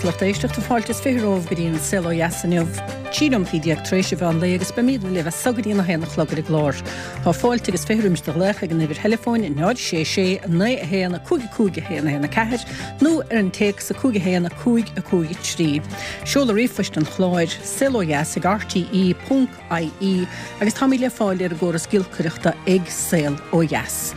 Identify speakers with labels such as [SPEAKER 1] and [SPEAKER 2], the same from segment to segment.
[SPEAKER 1] a lucht éisteachta, fáilte is 20 romhaibh go dtí an Saol Ó Dheas inniu, 13 nóimeataí tar éis an mheán lae agus beimidne libh as so go dtí an 1 a chlog ar an gclár. Tá fáilte agus 20 roimis do ghlaoch ag an uimhir theileafóin 0 6 6 9 1 5 5 1 1 4 nó ar an téacs 5 1 5 5 3. Seoladh ríomhphoist an chláir, saolodheas ag rte ponc ie agus táimid le fáil ar an gcóras giolcaireachta ag Saol Ó Dheas.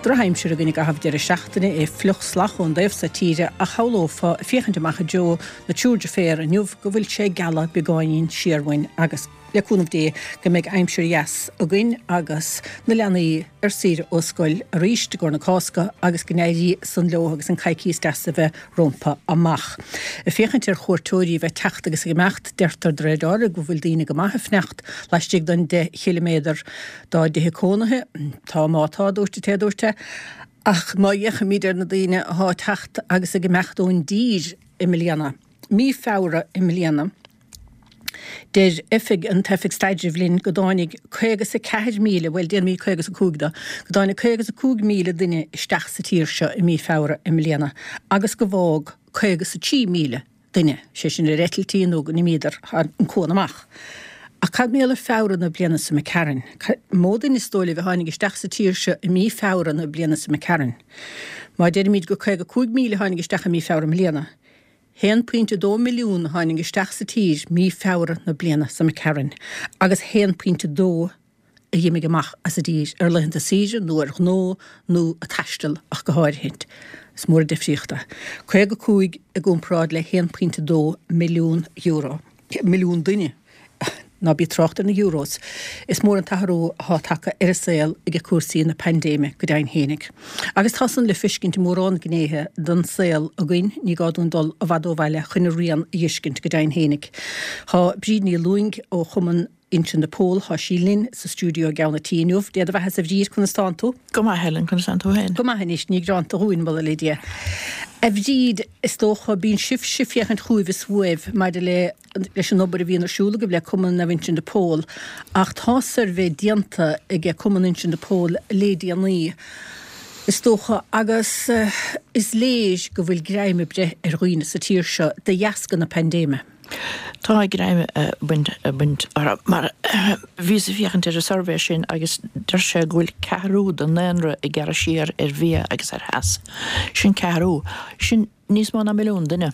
[SPEAKER 1] Drochaimsir againn i gcaitheamh deireadh seachtaine, é fliuch salach ón dtaobh so tíre ach shamhlófá ag féachaint amach i dtreo na Triúr Deirféar inniu go bhfuil sé ag gealadh beagáinín siar uainn agus, le cúnamh Dé, go mbeidh aimsir dheas againn agus na leanaí ar saoire ó scoil arís i gcomhair na Cásca agus go n-éirí san leo agus an coicíos deas a bheith rompu amach. Ag féachaint ar chuairteoirí a bheith ag teacht agus ag imeacht, deirtear de réir dealraimh go bhfuil daoine go maith ag fanacht laistigh den 10 chiliméadar dá dtithe cónaithe. Tá má tá, a dúirt an té a dúirt é. Ach má fhéachaimid ar na daoine athá ag teacht agus ag imeacht ón dtír i mbliana, mí Feabhra i mbliana, Deir oifig an t-Oifig Staidrimh linn go dtáinig 54,000, bhuel déanaimid 55 de, go dtáinig 55,000 duine isteach sa tír seo i mí Feabhra i mbliana agus go bhfág 53,000 duine, sé sin ar eitiltí nó go n-imíodar thar an cuan amach. Ach cad mar gheall ar Feabhra na bliana seo imigh tharainn? Mó duine is dóigh libh a tháinig isteach sa tír seo i mí Feabhra na bliana seo imigh tharainn? Má deirimid gur 55,000 a tháinig isteach i mí Feabhra i mbliana, 1.2 milliún a tháinig isteach sa tír mí Feabhra na bliana seo imigh tharainn agus 1.2 a dh'imigh amach as an dtír ar laethanta saoire nó ar ghnó nó ag taisteal ach go háirithint. Is mór an difríocht é. 55 i gcomparáid le 1.2 milliún euro. milliún duine. Ná bí ag trácht ar na euros. Is mór an t-athrú athá tagtha ar an saol ag cúrsaí na paindéime go deimhin fhéinig. Agus tá san le feiscint i mórán gnéithe den saol againn, ní gá dúinn dul i bhfad ó bhaile chun a rian a dh'fheiscint go deimhin fhéinig. Thá Bríd Ní Lúing ó Chumann Uinseann de Pól, thá sí linn sa stiúideo i gceann a' tí inniu. Dé do bheatha-sa a Bhríd, conas tánn tú?
[SPEAKER 2] Go maith, Helen, conas tánn tú féin?
[SPEAKER 1] Go maith anois, ní gearánta dhúinn, moladh le Dia. A Bhríd, is dócha, bíonn sibhse ag féachaint chugaibh is uaibh maidir le leis an obair a bhíonn ar siúl agaibh le Cumann Naomh Uinseann de Pól, ach tá suirbhé déanta ag Cumann Uinseann de Pól le déanaí, is dócha, agus is léir go bhfuil greim ag breith ar dhaoine sa tír seo de dheasca na paindéime.
[SPEAKER 2] Tá greim ag baint baint orthu mar bhíos ag féachaint ar an suirbhé sin agus deir sé go bhfuil ceathrú den ndaonra ag gearradh siar ar bhia agus ar theas. Sin ceathrú. Sin níos mó ná milliún duine.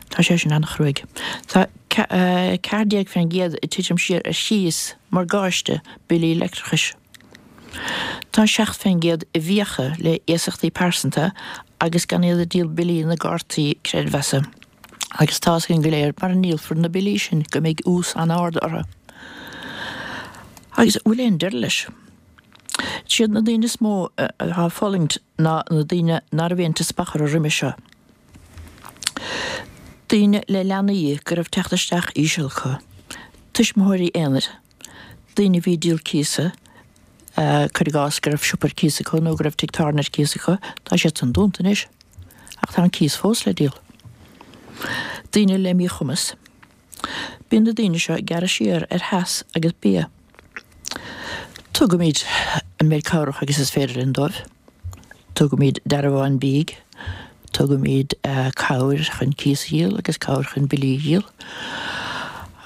[SPEAKER 2] Tá sé sin an-chruaidh. Tá 14% ag titim siar ar chíos, morgáiste, billí leictreachais. Tá 7% i bhfiacha le iasachtaí pearsanta agus gan iad ag díol billí na gcártaí creidmheasa. Agus tá's againn go léir mara ndíolfar na billí sin go mbeidh ús an-ard orthu. Agus bhfuil aon deireadh leis? Siad na daoine is mó atá ag fulaingt ná na daoine ná raibh aon teaspach orthu roimhe seo. Daoine le leanaí go raibh teacht isteach íseal acu. Tuismitheoirí aonair. Daoine a bhí ag díol cíosa, cuir i gcás go raibh siopa ar cíos acu nó go raibh tigh tábhairne ar cíos acu, tá siad san dúnta anois ach tá an cíos fós le díol. Daoine le míchumas. Bíonn na daoine seo ag gearradh siar ar theas agus bia. Tugaimid an méid cabhrach agus is féidir linn dóibh. Tugaimid dearbháin bídh, tugaimid cabhair chun cíos a dhíol agus cabhair chun billí a dhíol.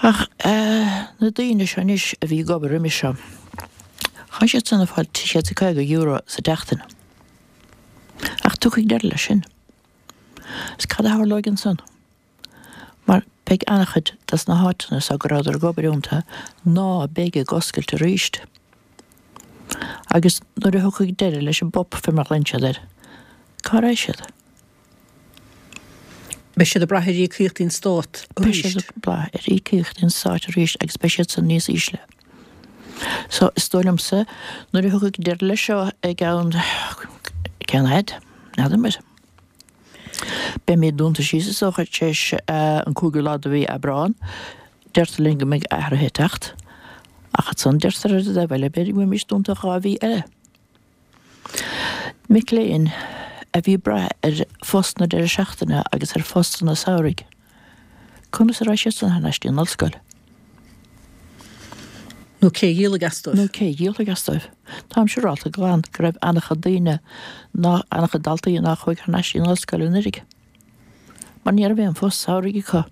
[SPEAKER 2] Ach na daoine seo anois a bhí ag obair roimis seo, thá siad san ag fáil €350 sa tseachtain. Ach tiocfaidh deireadh leis sin. Is cad a tharlóidh ansan? Mar beidh an-chuid des na háiteanna so go rabhadar ag obair iontu ná beidh ag oscailt aríst. Agus nuair a thiocfaidh deireadh leis an bPUP fé mar a ghlaonn siad air, cá raghaidh siad?
[SPEAKER 1] Beidh siad ag brath ar íocaíochtaí an Stáit
[SPEAKER 2] arís. Beidh siad ag brath ar íocaíochtaí an Stáit arís agus beidh siad san níos ísle. So, is dóigh liomsa, nuair a thiocfaidh deireadh leis seo i gceann, cén fhaid? N'fheadar muid. Beimid dúnta síos is dócha tar éis an cúigiú lá de mhí Aibreán. Deirtear linn go mbeidh athruithe ag teacht. Ach ansan deirtear ar an dtaobh eile b'fhéidir go mbeimis dúnta 2 mhí eile. Mic léinn a bhí ag brath ar phost na deireadh seachtaine agus ar phostanna samhraidh. Conas a raghaidh siad san thar n-ais dtí an ollscoil?
[SPEAKER 1] Nó cé a dhíolfaidh as dóibh?
[SPEAKER 2] Nó cé a dhíolfaidh as dóibh? Táim siúrálta glan go raibh an-chuid daoine, ná an-chuid daltaí ná chuaigh thar n-ais dtí an ollscoil anuiridh. Mar ní raibh aon phost samhraidh acu.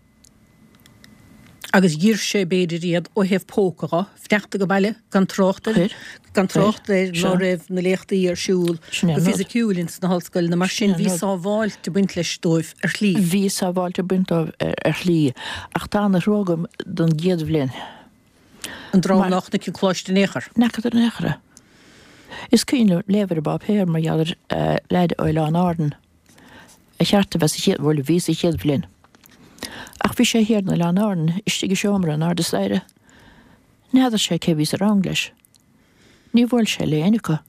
[SPEAKER 1] Agus dhaor sé b'fhéidir iad ó thaobh póca dho, fanacht age baile, gan trácht ar,
[SPEAKER 2] Chuir.
[SPEAKER 1] gan
[SPEAKER 2] Chuir.
[SPEAKER 1] trácht ar ná
[SPEAKER 2] Seo.
[SPEAKER 1] raibh na léachtaí ar siúl
[SPEAKER 2] Sin é
[SPEAKER 1] go
[SPEAKER 2] an rud.
[SPEAKER 1] fisiciúil ins na hollscoileanna, mar
[SPEAKER 2] Sin
[SPEAKER 1] sin
[SPEAKER 2] é an
[SPEAKER 1] bhí
[SPEAKER 2] rud.
[SPEAKER 1] sábháilt ag baint leis dóibh ar shlí.
[SPEAKER 2] Bhí sábháilt ag baint dóibh ar shlí, ach tá ana-thrua agam don gcéad bhliain.
[SPEAKER 1] An dream
[SPEAKER 2] Mar.
[SPEAKER 1] ná chonaic an coláiste in aon chor.
[SPEAKER 2] N'fheacadar in aon chor é. Is cuimhin liom léamh ar an bpáipéar mar gheall ar leaid ó Oileán Árann a cheart a bheith sa chéad, bhuel, bhí sa chéad bhliain. Ach bhí sé thiar in Oileán Árann, istigh i seomra in airde staighre. N'fheadar sé cé bhí sa rang leis. Ní bhuail sé le éinne acu.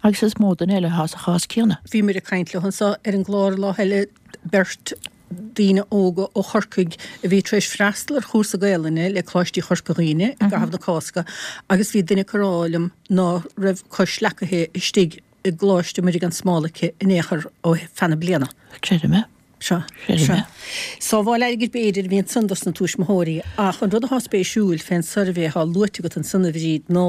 [SPEAKER 2] Agus is mó duine eile atá sa chás céanna.
[SPEAKER 1] Bhíomar ag caint leo anseo ar an gclár lá eile, beirt daoine óga ó Chorcaigh a bhí tar éis freastal ar chúrsa Gaelainne le Coláistí Chorca Dhuibhne i gcaitheamh na Cásca agus bhí duine acu ag rá liom ná raibh comhghleacaithe istigh i gColáiste Muire gan Smál aici in aon chor ó feadh na bliana.
[SPEAKER 2] Creidim é.
[SPEAKER 1] Sea.
[SPEAKER 2] Creidim
[SPEAKER 1] Sea.
[SPEAKER 2] é.
[SPEAKER 1] Sábháil airgid b'fhéidir a bhí ansan dos na tuismitheoirí ach an rud athá spéisiúil fén suirbhé athá luaite agat ansan a Bhríd ná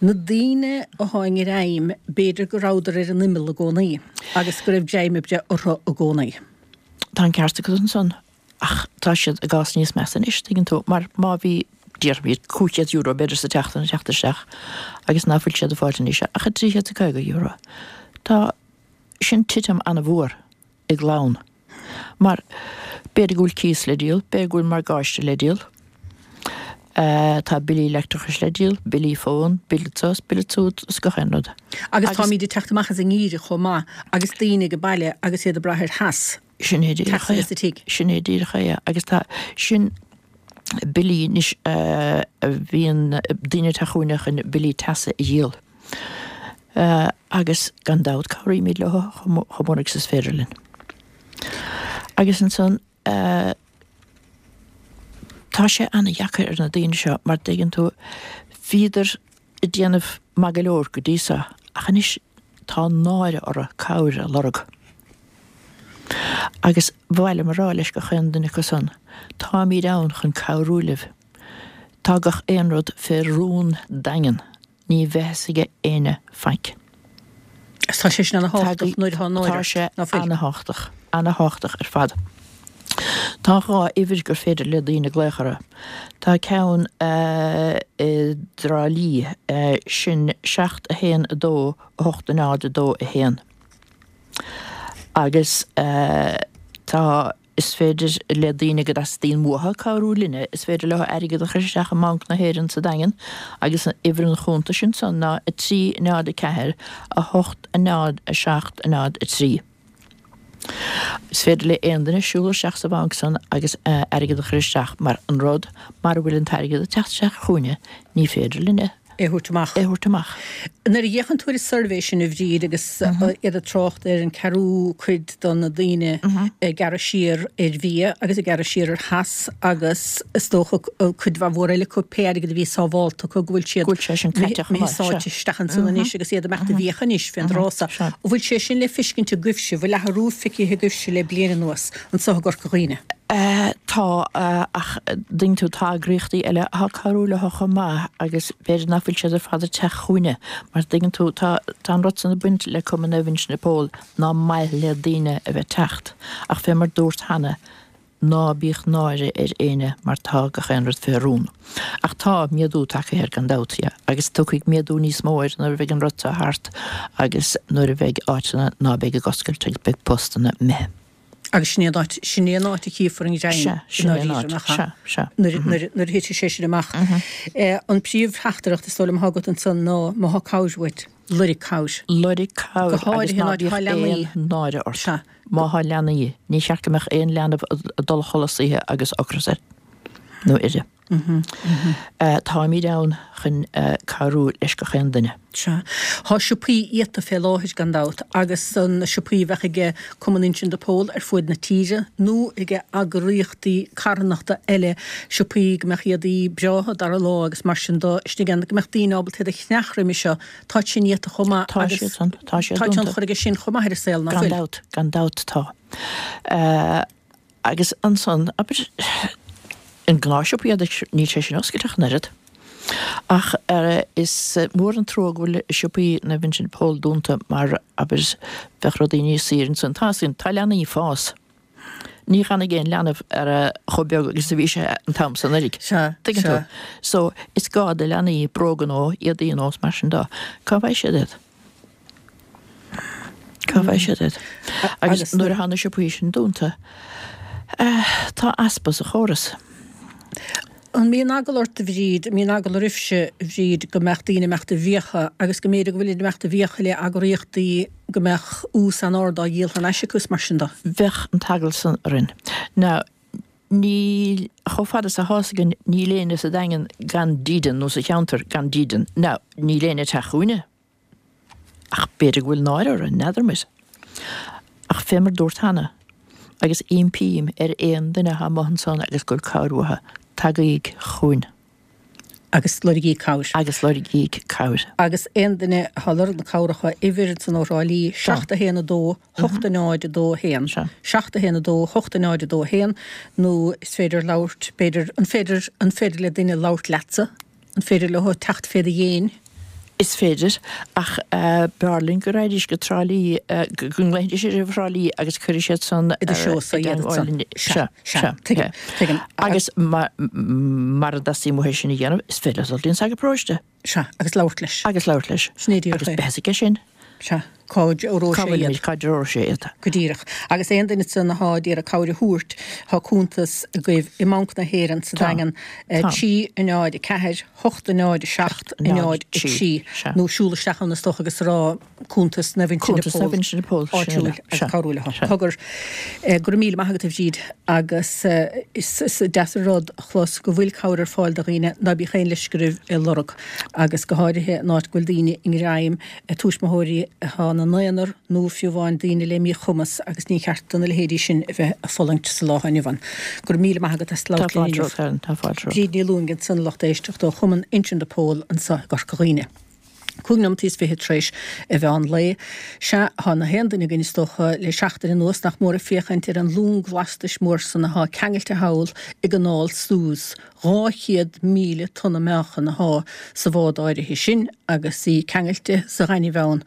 [SPEAKER 1] na daoine athá i ngreim b'fhéidir go rabhadar ar an imeall i gcónaí agus go raibh greim ag breith orthu i gcónaí.
[SPEAKER 2] Tá an ceart agat ansan ach tá siad i gcás níos measa anois, tuigeann tú, mar má bhí, déarfaimid, €500 b'fhéidir sa tseachtain ag teacht isteach agus ná fuil siad ag fáilt anois ach €350. Tá sin titim an-mhór i gclann mar b'fhéidir go bhfuil cíos le díol, b'fhéidir go bhfuil morgáiste le díol, tá billí leictreachais le díol, billí fón, bille seo is bille siúd is gach aon rud.
[SPEAKER 1] Agus táimíd ag teacht amach as an ngeimhreadh chomh maith agus daoine age baile agus iad ag brath ar theas.
[SPEAKER 2] Sin é díreach
[SPEAKER 1] Teas sa tigh.
[SPEAKER 2] Sin é díreach é agus tá sin billí anois a bhíonn daoine ag teacht chugainne chun billí teasa a dhíol agus gan dabht cabhraímid leo chomh mór agus is féidir linn. Agus ansan tá sé ana-dheacair ar na daoine seo mar dtuigeann tú bhíodar ag déanamh maith go leor go dtí so ach anois tá náire orthu cabhair a lorg. Agus ba mhaith liom a rá leis gach aon duine acu san, táimíd ann chun cabhrú libh. Tá gach aon rud fé rún daingean, ní bheidh fhios aige éinne faic.
[SPEAKER 1] Agus tá sé sin ana-thábhachtach nuair atá náire
[SPEAKER 2] Tá
[SPEAKER 1] ort,
[SPEAKER 2] sé
[SPEAKER 1] ná fuil?
[SPEAKER 2] ana-thábhachtach, ana-thábhachtach ar fad. Tá 2 uimhir gur féidir le daoine glaoch orthu. Tá ceann i dTrá Lí, sin 7 1 2 8 0 2 1. Agus tá, is féidir le daoine go dteastaíonn uathu cabhrú linne, is féidir leo airgead a chur isteach i mBanc na hÉireann sa Daingean agus uimhir an chuntais ansan ná 3 0 4 8 0 7 0 3. Is féidir le aon duine siúl isteach sa bhanc san agus airgead a chur isteach mar an rud, mara bhfuil an t-airgead ag teacht isteach chugainne, ní féidir linne
[SPEAKER 1] é a thabhairt amach.
[SPEAKER 2] é a thabhairt amach.
[SPEAKER 1] Nuair a fhéachann tú ar an suirbhé sin, a Bhríd, agus iad ag trácht ar an ceathrú cuid de na daoine ag gearradh siar ar bhia agus ag gearradh siar ar theas agus is dócha cuid mhaith mhór eile acu pé airgead a bhí sábhálta acu go bhfuil siad
[SPEAKER 2] Go bhfuil sé sin caite chomh
[SPEAKER 1] imithe
[SPEAKER 2] maith,
[SPEAKER 1] sáite
[SPEAKER 2] sea.
[SPEAKER 1] isteach ansan anois agus iad ag imeacht i bhfiacha anois fén dtráth so.
[SPEAKER 2] Sea.
[SPEAKER 1] An bhfuil sé sin le feiscint agaibhse, bhfuil athrú feicthe agaibhse le bliain anuas anso i gCorca Dhuibhne?
[SPEAKER 2] Tá, ach tuigeann tú, tá eagraíochtaí eile atá ag cabhrú leo chomh maith agus b'fhéidir nach bhfuil siad ar fad ag teacht chugainne mar tuigeann tú, tá, tá an rud san ag baint le Cumann Naomh Uinseann de Pól ná maith le daoine a bheith ag teacht ach fé mar dúrt cheana, ná bíodh náire ar éinne mar tá gach aon rud fé rún. Ach tá méadú tagtha air gan dabht, yeah, agus tiocfaidh méadú níos mó air nuair a bheidh an rud seo thart agus nuair a bheidh áiteanna ná beidh ag oscailt agus beidh postanna imithe.
[SPEAKER 1] Agus sin é an áit, sin é an áit a chífear an ghreim
[SPEAKER 2] Sea,
[SPEAKER 1] i
[SPEAKER 2] sin é an
[SPEAKER 1] ndáiríre,
[SPEAKER 2] áit,
[SPEAKER 1] nach ea?
[SPEAKER 2] sea, sea.
[SPEAKER 1] Nuair, nuair, nuair a thitfidh sé sin amach. An príomhtheachtaireacht is dóigh liom atá agat ansan ná má thá cabhair uait, loirg cabhair.
[SPEAKER 2] Loirg cabhair
[SPEAKER 1] Go
[SPEAKER 2] agus
[SPEAKER 1] háirithe
[SPEAKER 2] ná
[SPEAKER 1] in áit
[SPEAKER 2] bíodh
[SPEAKER 1] atá leanaí.
[SPEAKER 2] aon náire ort.
[SPEAKER 1] Sea.
[SPEAKER 2] Má thá leanaí, ní cheart go mbeadh aon leanbh ag dul a chodladh san oíche agus ocras air nó uirthi. Táimid ann chun cabhrú leis gach aon duine.
[SPEAKER 1] Sea. Thá siopaí iata fé láthair, gan dabht, agus na siopaí a bheadh aige Cumann Uinseann de Pól ar fuaid na tíre, nó aige eagraíochtaí carthanachta eile, siopaí go mbeadh éadaí breátha dara lá agus mar sin do istigh ann, go mbeadh daoine ábalta iad a cheannach roimhe seo. Táid sin iata chomh maith
[SPEAKER 2] Tá
[SPEAKER 1] agus
[SPEAKER 2] siad san. Tá siad
[SPEAKER 1] tá
[SPEAKER 2] dúnta.
[SPEAKER 1] tionchar aige sin chomh maith ar an saol, nach
[SPEAKER 2] Gan
[SPEAKER 1] bhfuil?
[SPEAKER 2] dabht, gan dabht tá. Agus ansan, abair, an gnáthshiopa éadaigh, níl sé sin oscailte ach an oiread. Ach is mór an trua go bhfuil siopaí Naomh Uinseann de Pól dúnta mar, abair, bheadh rudaí níos saoire ansan. Tá, tá leanaí ag fás. Ní dhanfaidh aon leanbh ar a chomh beag agus a bhí sé an t-am san uilig.
[SPEAKER 1] Sea,
[SPEAKER 2] Tuigeann tú?
[SPEAKER 1] sea.
[SPEAKER 2] So, is gá do leanaí bróga nó éadaí nó mar sin de. Cá bhfaighidh siad iad? Cá bhfaighidh siad iad? Agus nuair atá na siopaí sin dúnta, tá easpa sa chóras.
[SPEAKER 1] An mbíonn eagla ort, a Bhríd, an mbíonn eagla oraibhse, a Bhríd, go mbeadh daoine ag imeacht i bhfiacha agus go mb'fhéidir go bhfuilid ag imeacht i bhfiacha le eagraíochtaí go mbeadh ús an-ard á dhíol thar n-ais acu is mar sin de?
[SPEAKER 2] Bheadh an t-eagla san orainn. Now, níl, chomh fada is atá 'fhios againn, níl éinne sa Daingean gan dídean nó sa cheantar gan dídean. Now, níl éinne ag teacht chugainne. Ach b'fhéidir go bhfuil náire orthu, n'fheadar muid. Ach fé mar dúrt cheana, agus impím ar aon duine atá amuigh ansan agus go bhfuil cabhair uathu, tagaíg chugainn.
[SPEAKER 1] Agus loirgíg cabhair.
[SPEAKER 2] Agus loirgíg cabhair.
[SPEAKER 1] Agus aon duine atá ag lorg na cabhrach, uimhir ansan ó Thrá Lí, 7 1 2 8 0 2 1, 7 1 2 8 0 2 1, nó is féidir labhairt, b'fhéidir, an féidir, an féidir le duine labhairt leatsa? An féidir leo teacht fé do dhéin?
[SPEAKER 2] Is féidir, ach b'fhearr linn go raghaidís go Trá Lí, go nglaofaidís ar Thrá Lí agus cuirfidh siad san
[SPEAKER 1] i dtreo-sa iad ansan.
[SPEAKER 2] Sea,
[SPEAKER 1] sea, tuigim, tuigim.
[SPEAKER 2] Agus mara dteastaíonn uathu sin a dhéanamh, is féidir leo dul dtí an sagart paróiste.
[SPEAKER 1] Sea, agus labhairt leis.
[SPEAKER 2] Agus labhairt leis.
[SPEAKER 1] Sin é díreach
[SPEAKER 2] é. Agus beidh a fhios aige sin.
[SPEAKER 1] Sea, cá dtreoróidh
[SPEAKER 2] sé iad. Cá dtreoróidh sé iad.
[SPEAKER 1] Go díreach. Agus aon duine ansan athá d'iarraidh cabhair a thabhairt, thá cuntas agaibh i mBanc na hÉireann sa Daingean, 3, 0, 4, 8, 0, 7, 0, 3, nó siúl isteach ann is dócha agus rá cuntas Naomh Uinseann
[SPEAKER 2] de
[SPEAKER 1] Pól
[SPEAKER 2] Cuntas Naomh Uinseann de Pól,
[SPEAKER 1] áitiúil agus cabhrú leo. Cogar, go raibh míle maith agat a Bhríd agus is deas an rud a chlos go bhfuil cabhair ar fáil do dhaoine, ná bíodh aon leisce oraibh é lorg agus go háirithe in áit go bhfuil daoine i ngreim, tuismitheoirí atá ina n-aonar nó fiú amháin daoine le míchumas agus ní cheart do na leithéidí sin a bheith ag fulaingt sa lá atá inniu ann. Go raibh míle maith agat as
[SPEAKER 2] labhairt linn inniu. Tá fáilte romhat.
[SPEAKER 1] Bríd Ní Luaing ansan a lucht éisteachta ó Chumann Uinseann de Pól anseo i gCorca Dhuibhne. 5 neomat is 20 tar éis a mheán lae. Sea, thá na haon duine againn is dócha le seachtain anuas nach mór ag féachaint ar an long lastais mór san athá ceangailte thall i gCanáil Suez. 200,000 tonna meáchan athá sa bhád áirithe sin agus í ceangailte sa ghaineamh ann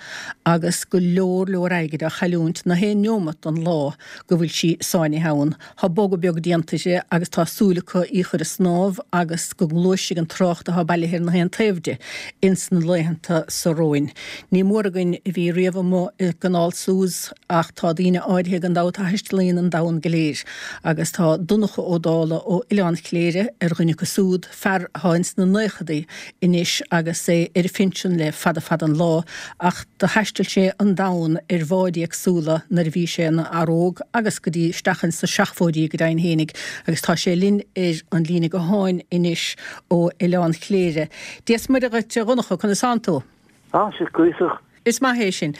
[SPEAKER 1] agus go leor leor airgid á chailliúint na haon neomat den lá go bhfuil sí sáinnithe ann. Tá bogadh beag déanta di agus tá súil acu í chur ag snámh agus go ngluaisfidh an trácht atá bailithe ar na haon taobh di ins na laethanta so romhainn. Ní mór againn a bhí riamh amuigh i gCanáil Suez ach tá daoine áirithe gan dabht a thaistealaíonn an domhan go léir agus tá Donncha Ó Dálaigh ó Oileán Chléire ar dhuine acu súd, fear atá ins na naochadaí anois agus é ar a phinsean le fada fada an lá, ach do thaistil sé an domhan ar bháid éagsúla nuair a bhí sé ina fhear óg agus go dtí isteach ins na seachmhóidí go deimhin fhéinig, agus tá sé linn ar an líne gutháin anois ó Oileán Chléire. Dia 's Muire dhuit a Dhonncha, conas tánn tú?
[SPEAKER 3] Tá sé cuíosach.
[SPEAKER 1] Is maith é sin.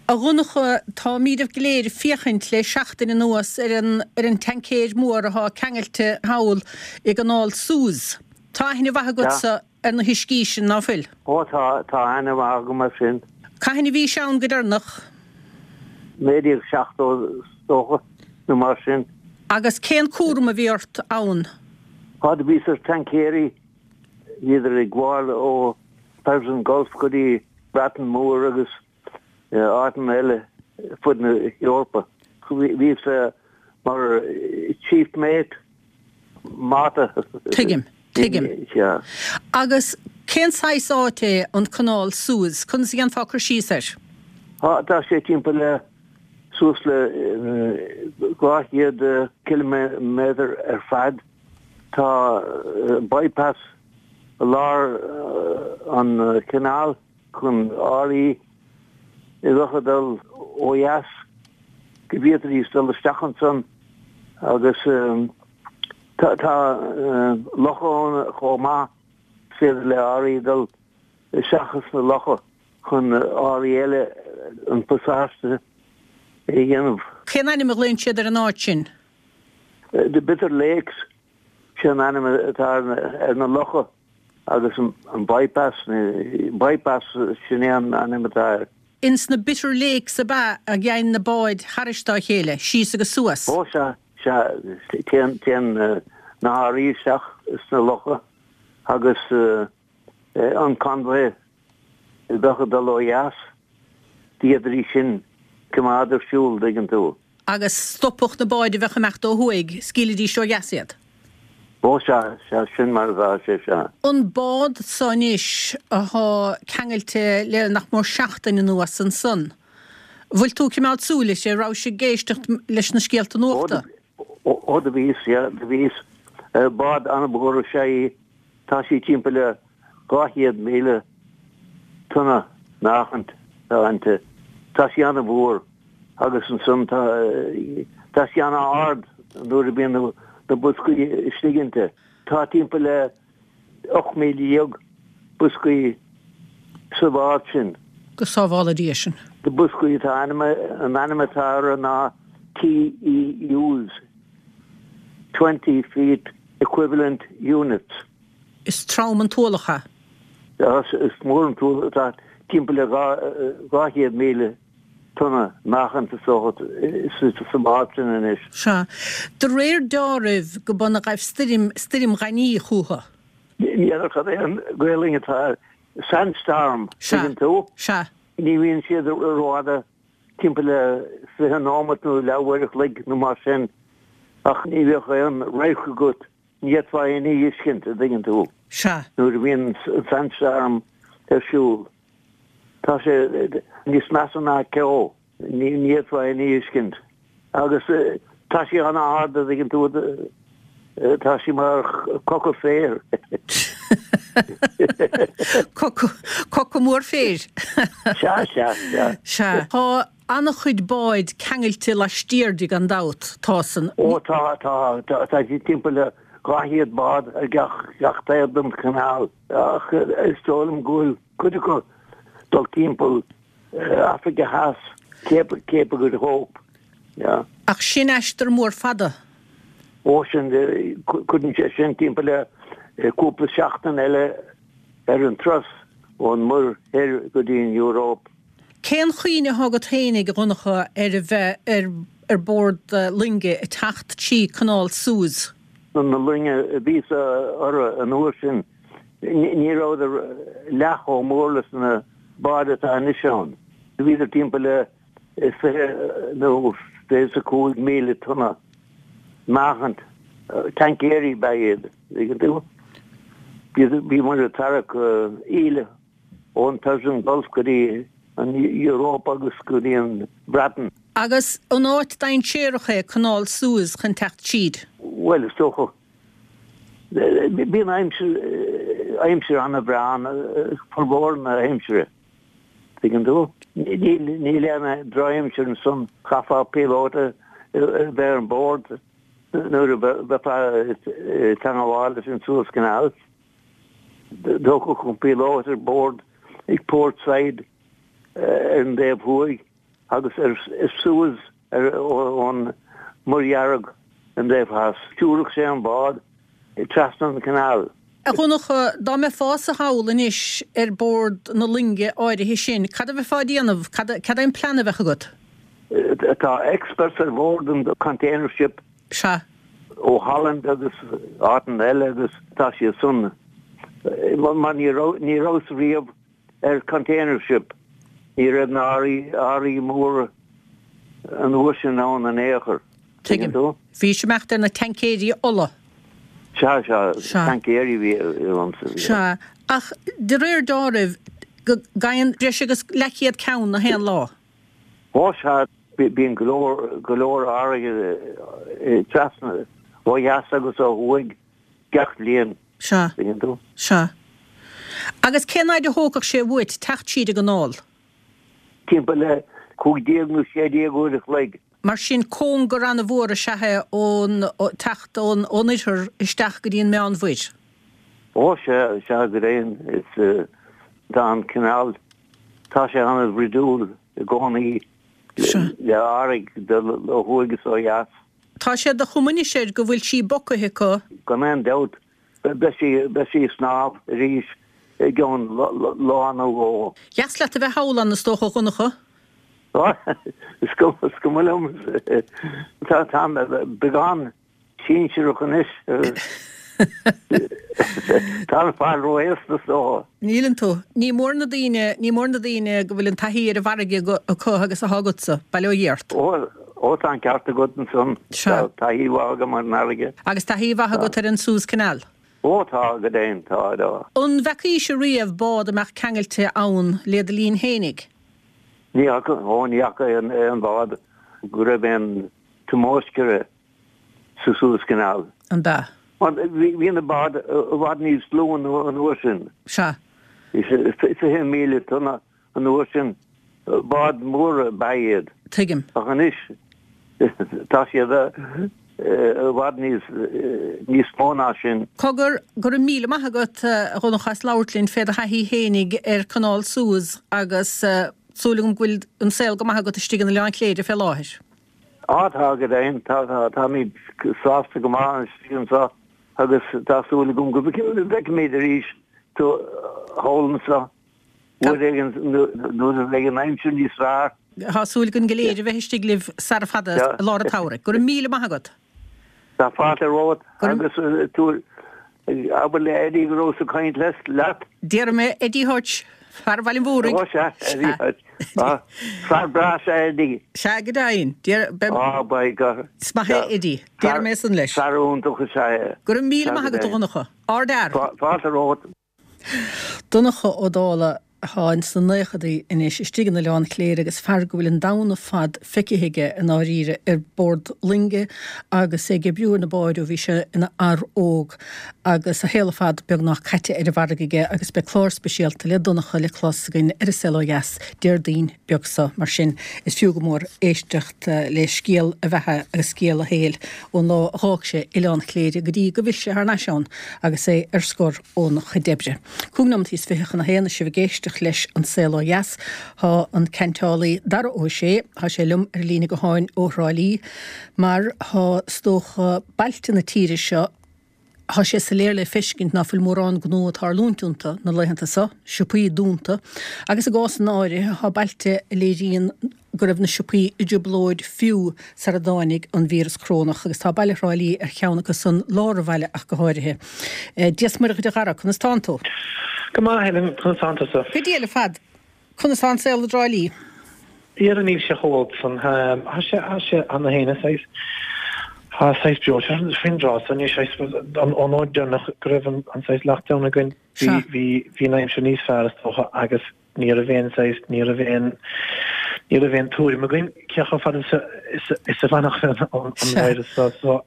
[SPEAKER 1] A Dhonncha, táimíd go léir ag féachaint le seachtain anuas ar an ar an tancaer mór athá ceangailte thall i gCanáil Suez. Tá aithne mhaith agatsa ar na huiscí sin, ná fuil?
[SPEAKER 3] Ó tá, tá aithne mhaith agam air sin.
[SPEAKER 1] Cathain a bhís ann go deireanach?
[SPEAKER 3] 1970 is dócha, nó mar sin.
[SPEAKER 1] Agus cén cúram a bhí ort ann?
[SPEAKER 3] Á, do bhíos ar tancaeirí, bhíodar ag gabháil ó Persian Gulf go dtí Breatain Mhór agus áiteanna eile fud na hEorpa. Bhíos mar chief mate, máta.
[SPEAKER 1] Tuigim, tuigim. Agus cén saghas áit é an Canáil Suez? Conas a dhéanfá cur síos air?
[SPEAKER 3] Tá sé timpeall le suas le 200 ciliméadar ar fad. Tá bypass i lár an chanáil chun árthaí a bheadh ag dul ó dheas go bhféadfaidís dul isteach ansan agus tá locha ann chomh maith, is féidir le árthaí dul isteach sna locha chun árthaí eile an pasáiste a dhéanamh.
[SPEAKER 1] Cén ainm a ghlaonn siad ar an áit sin?
[SPEAKER 3] The Bitter Lakes, sin an ainm atá ar na locha agus an bypass, bypass sin é an ainm atá air.
[SPEAKER 1] Ins na Bitter Lakes ab ea a gheibheann na báid thairis dá chéile, síos agus suas?
[SPEAKER 3] Ó sea, sea, téann, téann na hárthaí isteach sna locha agus an convoy a bheadh ag dul ó dheas, d'fhéadfaidís sin coimeád ar siúl, dtuigeann tú.
[SPEAKER 1] Agus stopfadh na báid a bheadh ag imeacht ó thuaidh, scaoilfidís ó dheas iad.
[SPEAKER 3] Ó sea, sea, sin mar atá sé, sea.
[SPEAKER 1] An bád so anois athá ceangailte le nach mór seachtain anuas ansan, bhfuil tú ag cimeád súil uirthi, rabhais ag éisteacht leis na scéalta nuachta?
[SPEAKER 3] Ó do bhíos, sea, do bhíos. Bád an-mhór is ea í, tá sí timpeall le 200,000 tonna meáchaint atá inti. Tá sí an-mhór. Agus ansan tá, tá sí an-ard nuair a bhíonn na boscaí istigh inti. Tá timpeall le 18,000 boscaí sa bhád sin.
[SPEAKER 1] Go sábhála Dia sinn.
[SPEAKER 3] Na boscaí atá ainm, an ainm atá orthu ná TEUs, Twenty Feet Equivalent Units.
[SPEAKER 1] Is trom an t-ualach é.
[SPEAKER 3] Is mór an t-ualach, tá timpeall le 200,000 tonna meáchaint is dócha sa bhád sin anois.
[SPEAKER 1] Sea. De réir deáraimh go b'ionann a ghaibh stoirm, stoirm ghainimh chúthu.
[SPEAKER 3] Ní fheadar cad é an Ghaelainn atá air. Sandstorm,
[SPEAKER 1] Sea.
[SPEAKER 3] tuigeann tú?
[SPEAKER 1] Sea.
[SPEAKER 3] Ní bhíonn siad rófhada, timpeall le 20 nóimeat nó leathuair a chloig nó mar sin, ach ní bheadh aon radharc agat, ní fhéadfá aon ní a fheiscint, a dtuigeann tú,
[SPEAKER 1] Sea.
[SPEAKER 3] nuair a bhíonn an sandstorm ar siúl. Tá sé níos measa ná ceo. Ní fhéadfá aon ní a fheiscint. Agus tá sí an-ard, a dtuigeann tú, tá sí mar choca féir.
[SPEAKER 1] Coca mór féir.
[SPEAKER 3] Sea, sea, sea.
[SPEAKER 1] Sea. Tá an-chuid báid ceangailte laistiar di gan dabht. Tá san.
[SPEAKER 3] Ó tá, tá, tá timpeall le 200 bád ar gach taobh den chanáil. Ach is dóigh liom go bhfuil cuid acu dul timpeall Africa Theas, Cape, Cape of Good Hope, yeah.
[SPEAKER 1] Ach sin aistear mór fada.
[SPEAKER 3] Ó sin, cuireann sé sin timpeall le cúpla seachtain eile ar an turas ón Muir Thoir go dtí an Eoraip.
[SPEAKER 1] Cén chuimhne atá agat féinig, a Dhonncha, ar a bheith ar ar bord loinge ag teacht trí Canáil Suez?
[SPEAKER 3] Na loinge a bhíos orthu an uair sin, ní rabhadar leath chomh mór leis na báid atá anois ann. Bhíodar timpeall le 20 nó 25,000 tonna meáchaint. Tancaeirí ab ea iad, tuigeann tú. Bhíomar ag tarrac íle ón Persian Gulf go dtí an Europe agus go dtí an Bhreatain.
[SPEAKER 1] Agus an áit dainséarach é Canáil Suez chun teacht tríd?
[SPEAKER 3] Bhuel, is dócha. Bíonn aimsir, aimsir an-bhreá ann formhór na haimsire, tuigeann tú. Níl, níl aon drochaimsir ansan, chaithfeá píolóta a bheith ar bord nuair a bheifeá ag teangabháil leis an Suez Canal. D'fhágfadh an píolóta ar bord ag Port Said ar an dtaobh thuaidh agus ar Suez ar ón Muir Dhearg an dtaobh theas. Stiúrfadh sé an bád trasna an canal.
[SPEAKER 1] A Dhonncha, dá mbeifeása thall anois ar bord na loinge áirithe sin, cad a bheifeá a déanamh? Cad é an plean a bheadh agat?
[SPEAKER 3] Tá experts ar bhord an container ship.
[SPEAKER 1] Sea.
[SPEAKER 3] Ó Holland agus áiteanna eile agus tá siad san mar ní raibh, ní rabhas riamh ar container ship, ní raibh na earraí, earraí móra an uair sin ann in aon chor.
[SPEAKER 1] Tuigim. Tú? Bhís ag imeacht ar na taincéirí ola.
[SPEAKER 3] Sea, sea, Sea. taincéirí a bhí iontu.
[SPEAKER 1] Sea, ach de réir deáraimh go gabhann breis agus leathchéad ceann na haon lá.
[SPEAKER 3] Ó sea, bíonn go leor, go leor earraí trasna ó dheas agus ó thuaidh gach bliain.
[SPEAKER 1] Sea.
[SPEAKER 3] Tuigeann tú?
[SPEAKER 1] Sea. Agus cén fhaid a thógfadh sé uait teacht tríd an gcanáil?
[SPEAKER 3] Timpeall le 15 nó 16 uair a chloig.
[SPEAKER 1] Mar sin, cóngar an-mhór is ea é ón, teacht ón, ón oirthear isteach go dtí an Meánmhuir.
[SPEAKER 3] Ó sea, sea, go deimhin, is, tá an canal Tá sé an-bhruidiúil i gcónaí le earraí ag dul ó thuaidh is ó dheas.
[SPEAKER 1] Tá sé de chuma anois air go bhfuil sí bocaithe acu.
[SPEAKER 3] Gan aon dabht, beidh sí ag snámh arís i gceann lá nó dhó.
[SPEAKER 1] Dheas leat a bheith thall ann, is dócha, a Dhonncha?
[SPEAKER 3] Is cuma liom. Táim beagán Sinsearach anois. Tá an fear ró-aosta is dócha.
[SPEAKER 1] Níleann tú. Ní mór na daoine, ní mór na daoine go bhfuil an taithí ar an bhfarraige acu agus atá agatsa. Bail ó Dhia ort.
[SPEAKER 3] Ó, Ó tá an ceart agat ansan.
[SPEAKER 1] Sea.
[SPEAKER 3] Tá taithí mhaith agam ar an
[SPEAKER 1] fharraige. Agus taithí mhaith agat ar an Suez Canal?
[SPEAKER 3] Ó tá, go deimhin, tá, tá.
[SPEAKER 1] An bhfeacaís riamh bád a mbeadh ceangailte ann lé do linn fhéinig?
[SPEAKER 3] Ní fhaca, ó ní fhaca aon bhád go raibh aon tumoisc uirthi sa Suez Canal.
[SPEAKER 1] An b'ea?
[SPEAKER 3] Mar bhí na báid i bhfad níos lú an uair sin.
[SPEAKER 1] Sea.
[SPEAKER 3] 20,000 tonna an uair sin. Báid mhóra ab ea iad.
[SPEAKER 1] Tuigim.
[SPEAKER 3] Ach anois tá siad i bhfad níos níos mó ná sin.
[SPEAKER 1] Cogar, go raibh míle maith agat, a Dhonncha, as labhairt linn fé do thaithí fhéinig ar Chanáil Suez agus súil agam go bhfuil an saol go maith agat istigh in Oileán Chléire fé láthair.
[SPEAKER 3] Á, tá, go deimhin, tá, tá, táimid sásta go maith istigh anseo agus tá súil agam go bhfeicfimid arís tú thall anseo uair éigin nuair a bheidh an aimsir níos fearr.
[SPEAKER 1] Tá súil againn go léir a bheith istigh libh sara fada i lár an tsamhraidh. Go raibh míle maith agat.
[SPEAKER 3] Tá fáilte romhat agus tú Abair le Eddie go rabhas ag caint leat.
[SPEAKER 1] Déarfaidh mé Eddie Hutch, fear Bhaile an Mhúraigh.
[SPEAKER 3] Ó sea, Eddie Hutch. Fear breá is ea Eddie.
[SPEAKER 1] Sea, go deimhin.
[SPEAKER 3] Á, by God.
[SPEAKER 1] Is maith é Eddie. Déarfaidh mé san leis.
[SPEAKER 3] Fear iontach is ea
[SPEAKER 1] é. Go raibh míle maith agat, a Dhonncha. Ardfhear.
[SPEAKER 3] Fáilte romhat.
[SPEAKER 1] Donncha Ó Dálaigh atá ins na naochadaí anois istigh in Oileán Chléire agus fear go bhfuil an domhan ar fad feicthe aige i ndáiríre ar bord loinge agus é ag oibriú ar na báid ó bhí sé ina fhear óg agus a shaol ar fad beagnach caite ar an bhfarraige aige agus beidh clár speisialta le Donncha le clos againn ar An Saol Ó Dheas Déardaoin beag seo mar sin is fiú go mór éisteacht le scéal a bheatha agus scéal a shaoil ón lá a dh'fhág sé Oileán Chléire go dtí go bhfill sé thar n-ais ann agus é ar scor óna chuid oibre. Cúig nóimeataí is 20 chun a haon is sibh ag éisteacht leis An Saol Ó Dheas. Tá an ceainteálaí Dara Ó Sé, tá sé liom ar líne gutháin ó Thrá Lí mar tá is dócha bailte na tíre seo, tá sé soiléir le feiscint ná fuil mórán gnó ag tarlúint iontu na laethanta seo, siopaí dúnta agus i gcásanna áirithe tá bailte a léiríonn go raibh na siopaí i dtrioblóid fiú sara dtáinig an víreas corónach agus tá baile Thrá Lí ar cheann acu san, lár an bhaile ach go háirithe. Dia 's Muire dhuit a Dhara, conas tánn tú?
[SPEAKER 4] Go maith, Helen, conas tánn tusa?
[SPEAKER 1] Go diail ar fad. Conas tá an saol i dTrá Lí?
[SPEAKER 4] Dhera níl sé chomh holc san. Tá sé, tá sé ana théine saghas, tá saghas breoite faoin dtráth so anois, saghas, ón uair deireanach go raibh an saghas lockdown againn, bhí, bhí, bhí an aimsir níos fearr is dócha agus ní raibh aon saghas, ní raibh aon, ní raibh aon tuairim againn cé chomh fada is a, is a, is a bhfanfadh an, an virus so, so,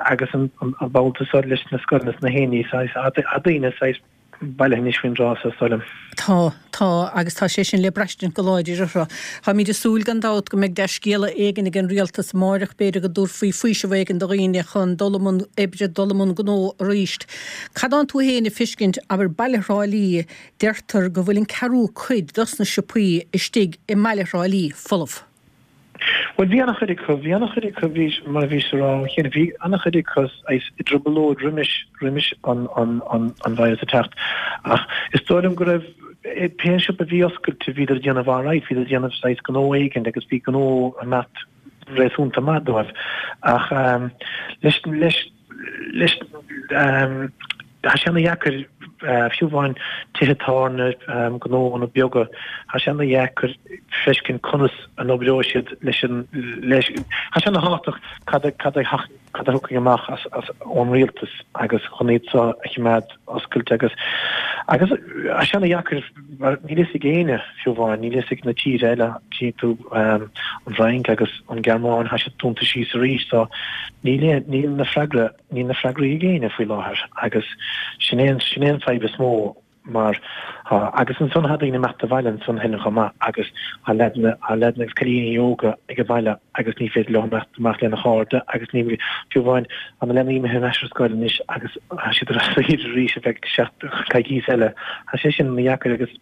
[SPEAKER 4] agus an, an, an babhta so leis na scoileanna is na héinní saghas, tá daoine saghas bailithe anois faoin dtráth so, is dóigh liom.
[SPEAKER 1] Tá, tá, agus tá sé sin le braistint go láidir orthu. Táimid ag súil gan dabht go mbeidh dea-scéala éigin ag an rialtas amáireach, b'fhéidir go dtabharfaí faoiseamh éigin do dhaoine chun dul i mbun oibre, dul i mbun gnó arís. Cad tánn tú féin ag fiscint, abair baile Thrá Lí, deirtear go bhfuil an ceathrú cuid dos na siopaí istigh i mbaile Thrá Lí folamh.
[SPEAKER 4] Bhuel, bhí an-chuid acu, bhí an-chuid acu, bhí, mar a bhís a rá cheana, bhí an-chuid acu saghas i dtrioblóid roimis, roimis an, an, an, an virus a teacht. Ach is dóigh liom go raibh, pé siopa a bhí oscailte, bhíodar ag déanamh alright, bhíodar ag déanamh saghas gnó éigin agus bhí gnó ag imeacht réasúnta maith dóibh. Ach leis, leis, leis, tá sé ana-dheacair, fiú amháin tithe tábhairne, gnóanna beaga, tá sé ana-dheacair feiscint conas a n-oibreoidh siad leis an, leis, tá sé ana-thábhachtach cad a, cad a, cad a thiocfaidh amach as, as, ón rialtas agus chun iad seo a choimeád oscailte agus, agus tá sé ana-dheacair mar níl fhios ag éinne fiú amháin, níl fhios ag na tíortha eile, tchíonn tú an Fhrainc agus an Ghearmáin, tá siad dúnta síos arís so níl, níl na freagra, níl na freagraí ag éinne faoi láthair agus sin é an, sin é an fadhb is mó mar tá, agus ansan tá daoine imeacht abhaile ansan Helen chomh maith agus tá leaideanna, tá leaideanna agus cailíní óga ag an bhaile agus ní féidir leo imeacht amach lena chairde agus ní, fiú amháin, tá na leanaí imithe ar ais ar scoil anois agus tá siad ar saoire arís ar feadh seacht, coicís eile. Tá sé sin ana-dheacair agus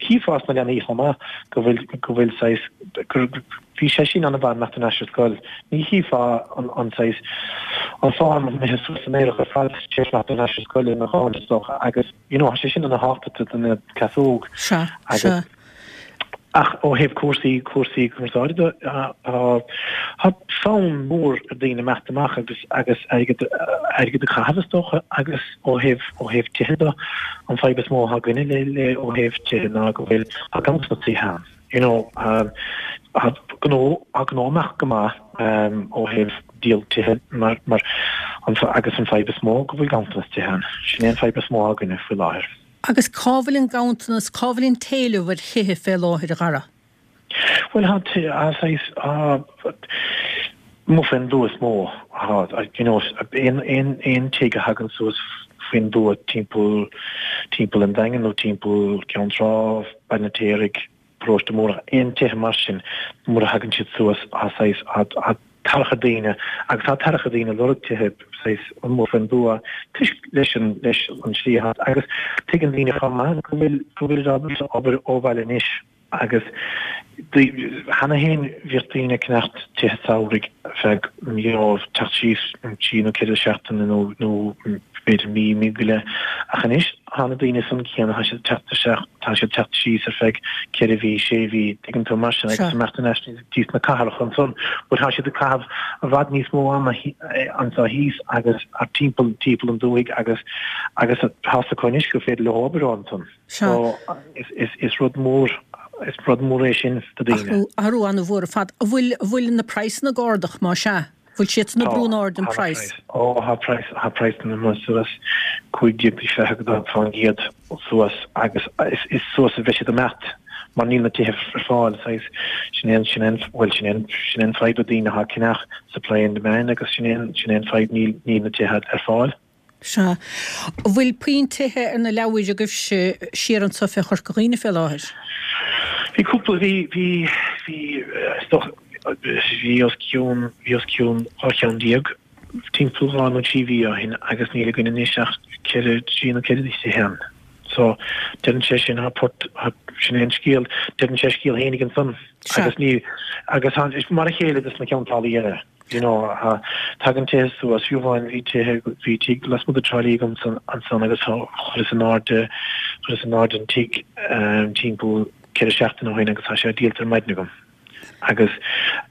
[SPEAKER 4] chífeá sna leanaí chomh maith go bhfuil, go bhfuil saghas, gur, bhí sé sin ana-mhaith imeacht ar ais ar scoil. Ní chífeá an, an saghas, an fonn imithe suas san aer ar fad tar éis imeacht ar ais ar scoil ina cháil is dócha agus, you know, tá sé sin ana-thábhachtach do dhuine cleas óg.
[SPEAKER 1] Sea, sea.
[SPEAKER 4] Ach ó thaobh cúrsaí, cúrsaí cumarsáide de, tá fonn mór ar daoine imeacht amach agus, agus airgead, airgead a chaitheamh is dócha agus ó thaobh, ó thaobh tithe de, an fadhb is mó atá againne le, le, ó thaobh tithe ná go bhfuil, tá ganntanas tithe ann. You know, tá. gnó, tá gnó ag imeacht go maith ó thaobh díol tithe mar, mar an, agus an fadhb is mó go bhfuil ganntanas tithe ann. Sin é an fadhb is mó againne faoi láthair.
[SPEAKER 1] Agus cá bhfuil an ganntanas, cá bhfuil an t-éileamh ar thithe fé láthair, a Dhara?
[SPEAKER 4] Bhuel, tá, tá saghas, tá, amuigh faoin dtuath is mó, tá, you know, aon, aon, aon tigh a thagann suas faoin dtuath timpeall, timpeall an Daingin nó timpeall Ceann Trá, Baile an Fheirtéaraigh, Paróiste Múrach, aon tithe mar sin, nuair a thagann siad suas, tá saghas, tá, tá tarrac ar daoine agus tá tarrac ar daoine ag lorg tithe saghas amuigh faoin dtuath toisc leis an, leis an slí atá agus tuigeann daoine chomh maith go bhfuil, go bhfuil ábalta obair ó bhaile anois. Agus cheana féin bhíodh daoine ag ceannacht tithe samhraidh feadh, you know, teacht síos trí nó ceithre seachtaine nó nó b'fhéidir mí, mí go leith. Ach anois tá na daoine san céanna, tá siad ag teacht isteach, tá siad ag teacht síos ar feadh ceithre mhí, sé mhí, tuigeann tú, mar sin agus imeacht ar ais dtí sna cathracha ansan. But tá siad ag caitheamh i bhfad níos mó ama anso thíos agus timpeall timpeall an dúthaigh agus agus tá fhios acu anois gur féidir leo obair ó ansan.
[SPEAKER 1] Sea.
[SPEAKER 4] Is rud mór, is rud mór é sin do daoine.
[SPEAKER 1] Athrú, athrú an-mhór ar fad. An bhfuil, an bhfuil na praghsanna ag ardach, má sea? Bhfuil siadsan ag brú in airde an praghas?
[SPEAKER 4] Ó, tá praghas, tá praghsanna imithe suas 15-20% suas agus is suas a bheidh siad ag imeacht mar níl na tithe ar fáil. Saghas, sin é an, sin é an, bhuel, sin é an, sin é an fadhb do daoine atá ag ceannach, supply and demand agus sin é an, sin é an fadhb, níl, níl na tithe ar fáil.
[SPEAKER 1] Sea. An bhfuil puinn tithe ar na leabhair agaibhse siar anso fé Chorca Dhuibhne fé láthair?
[SPEAKER 4] Bhí cúpla, bhí, bhí, bhí, is dócha, bhí os cionn, bhí os cionn 12 cheann timpeall dhá nó trí mhí ó shin agus níl againn anois ach ceithre, trí nó ceithre thithe ann. So, deireann sé sin, tá port, sin é an scéal, deireann sé a scéal fhéinig ansan.
[SPEAKER 1] Sea.
[SPEAKER 4] Agus ní, agus tá, is mar a chéile dos na ceantálaí eile. You know, tagann tithe suas, fiú amháin bhí tithe, bhí tigh lasmuigh de Trá Lí agamsa ansan agus chuireas in airde, chuireas in airde an tigh timpeall ceithre seachtaine ó shin agus tá sé díolta ar maidin agam. Agus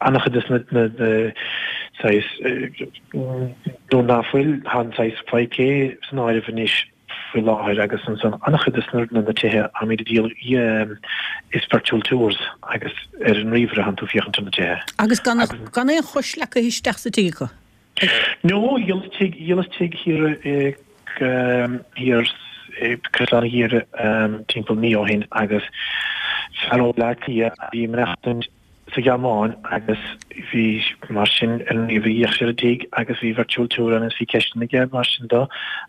[SPEAKER 4] an-chuid de na, na, saghas, nó ná fuil, tá an saghas 5K san áireamh anois, faoi láthair agus ansan an-chuid de na na tithe atáimid ag díol is virtual tours agus ar an ríomhaire atánn tú féachaint ar na tithe.
[SPEAKER 1] Agus gan gan aon chois leagtha isteach sa tigh acu?
[SPEAKER 4] No, dhíolas tigh, dhíolas tigh thiar i thiar i Caisleán an Ghiarraidh timpeall mí ó shin agus fear ó Bleá Cliath a bhí ag maireachtaint sa Ghearmáin agus bhí mar sin ar an ríomhaire d'fhéach sé ar an tigh agus bhí virtual tour ann agus bhí ceisteanna aige mar sin dó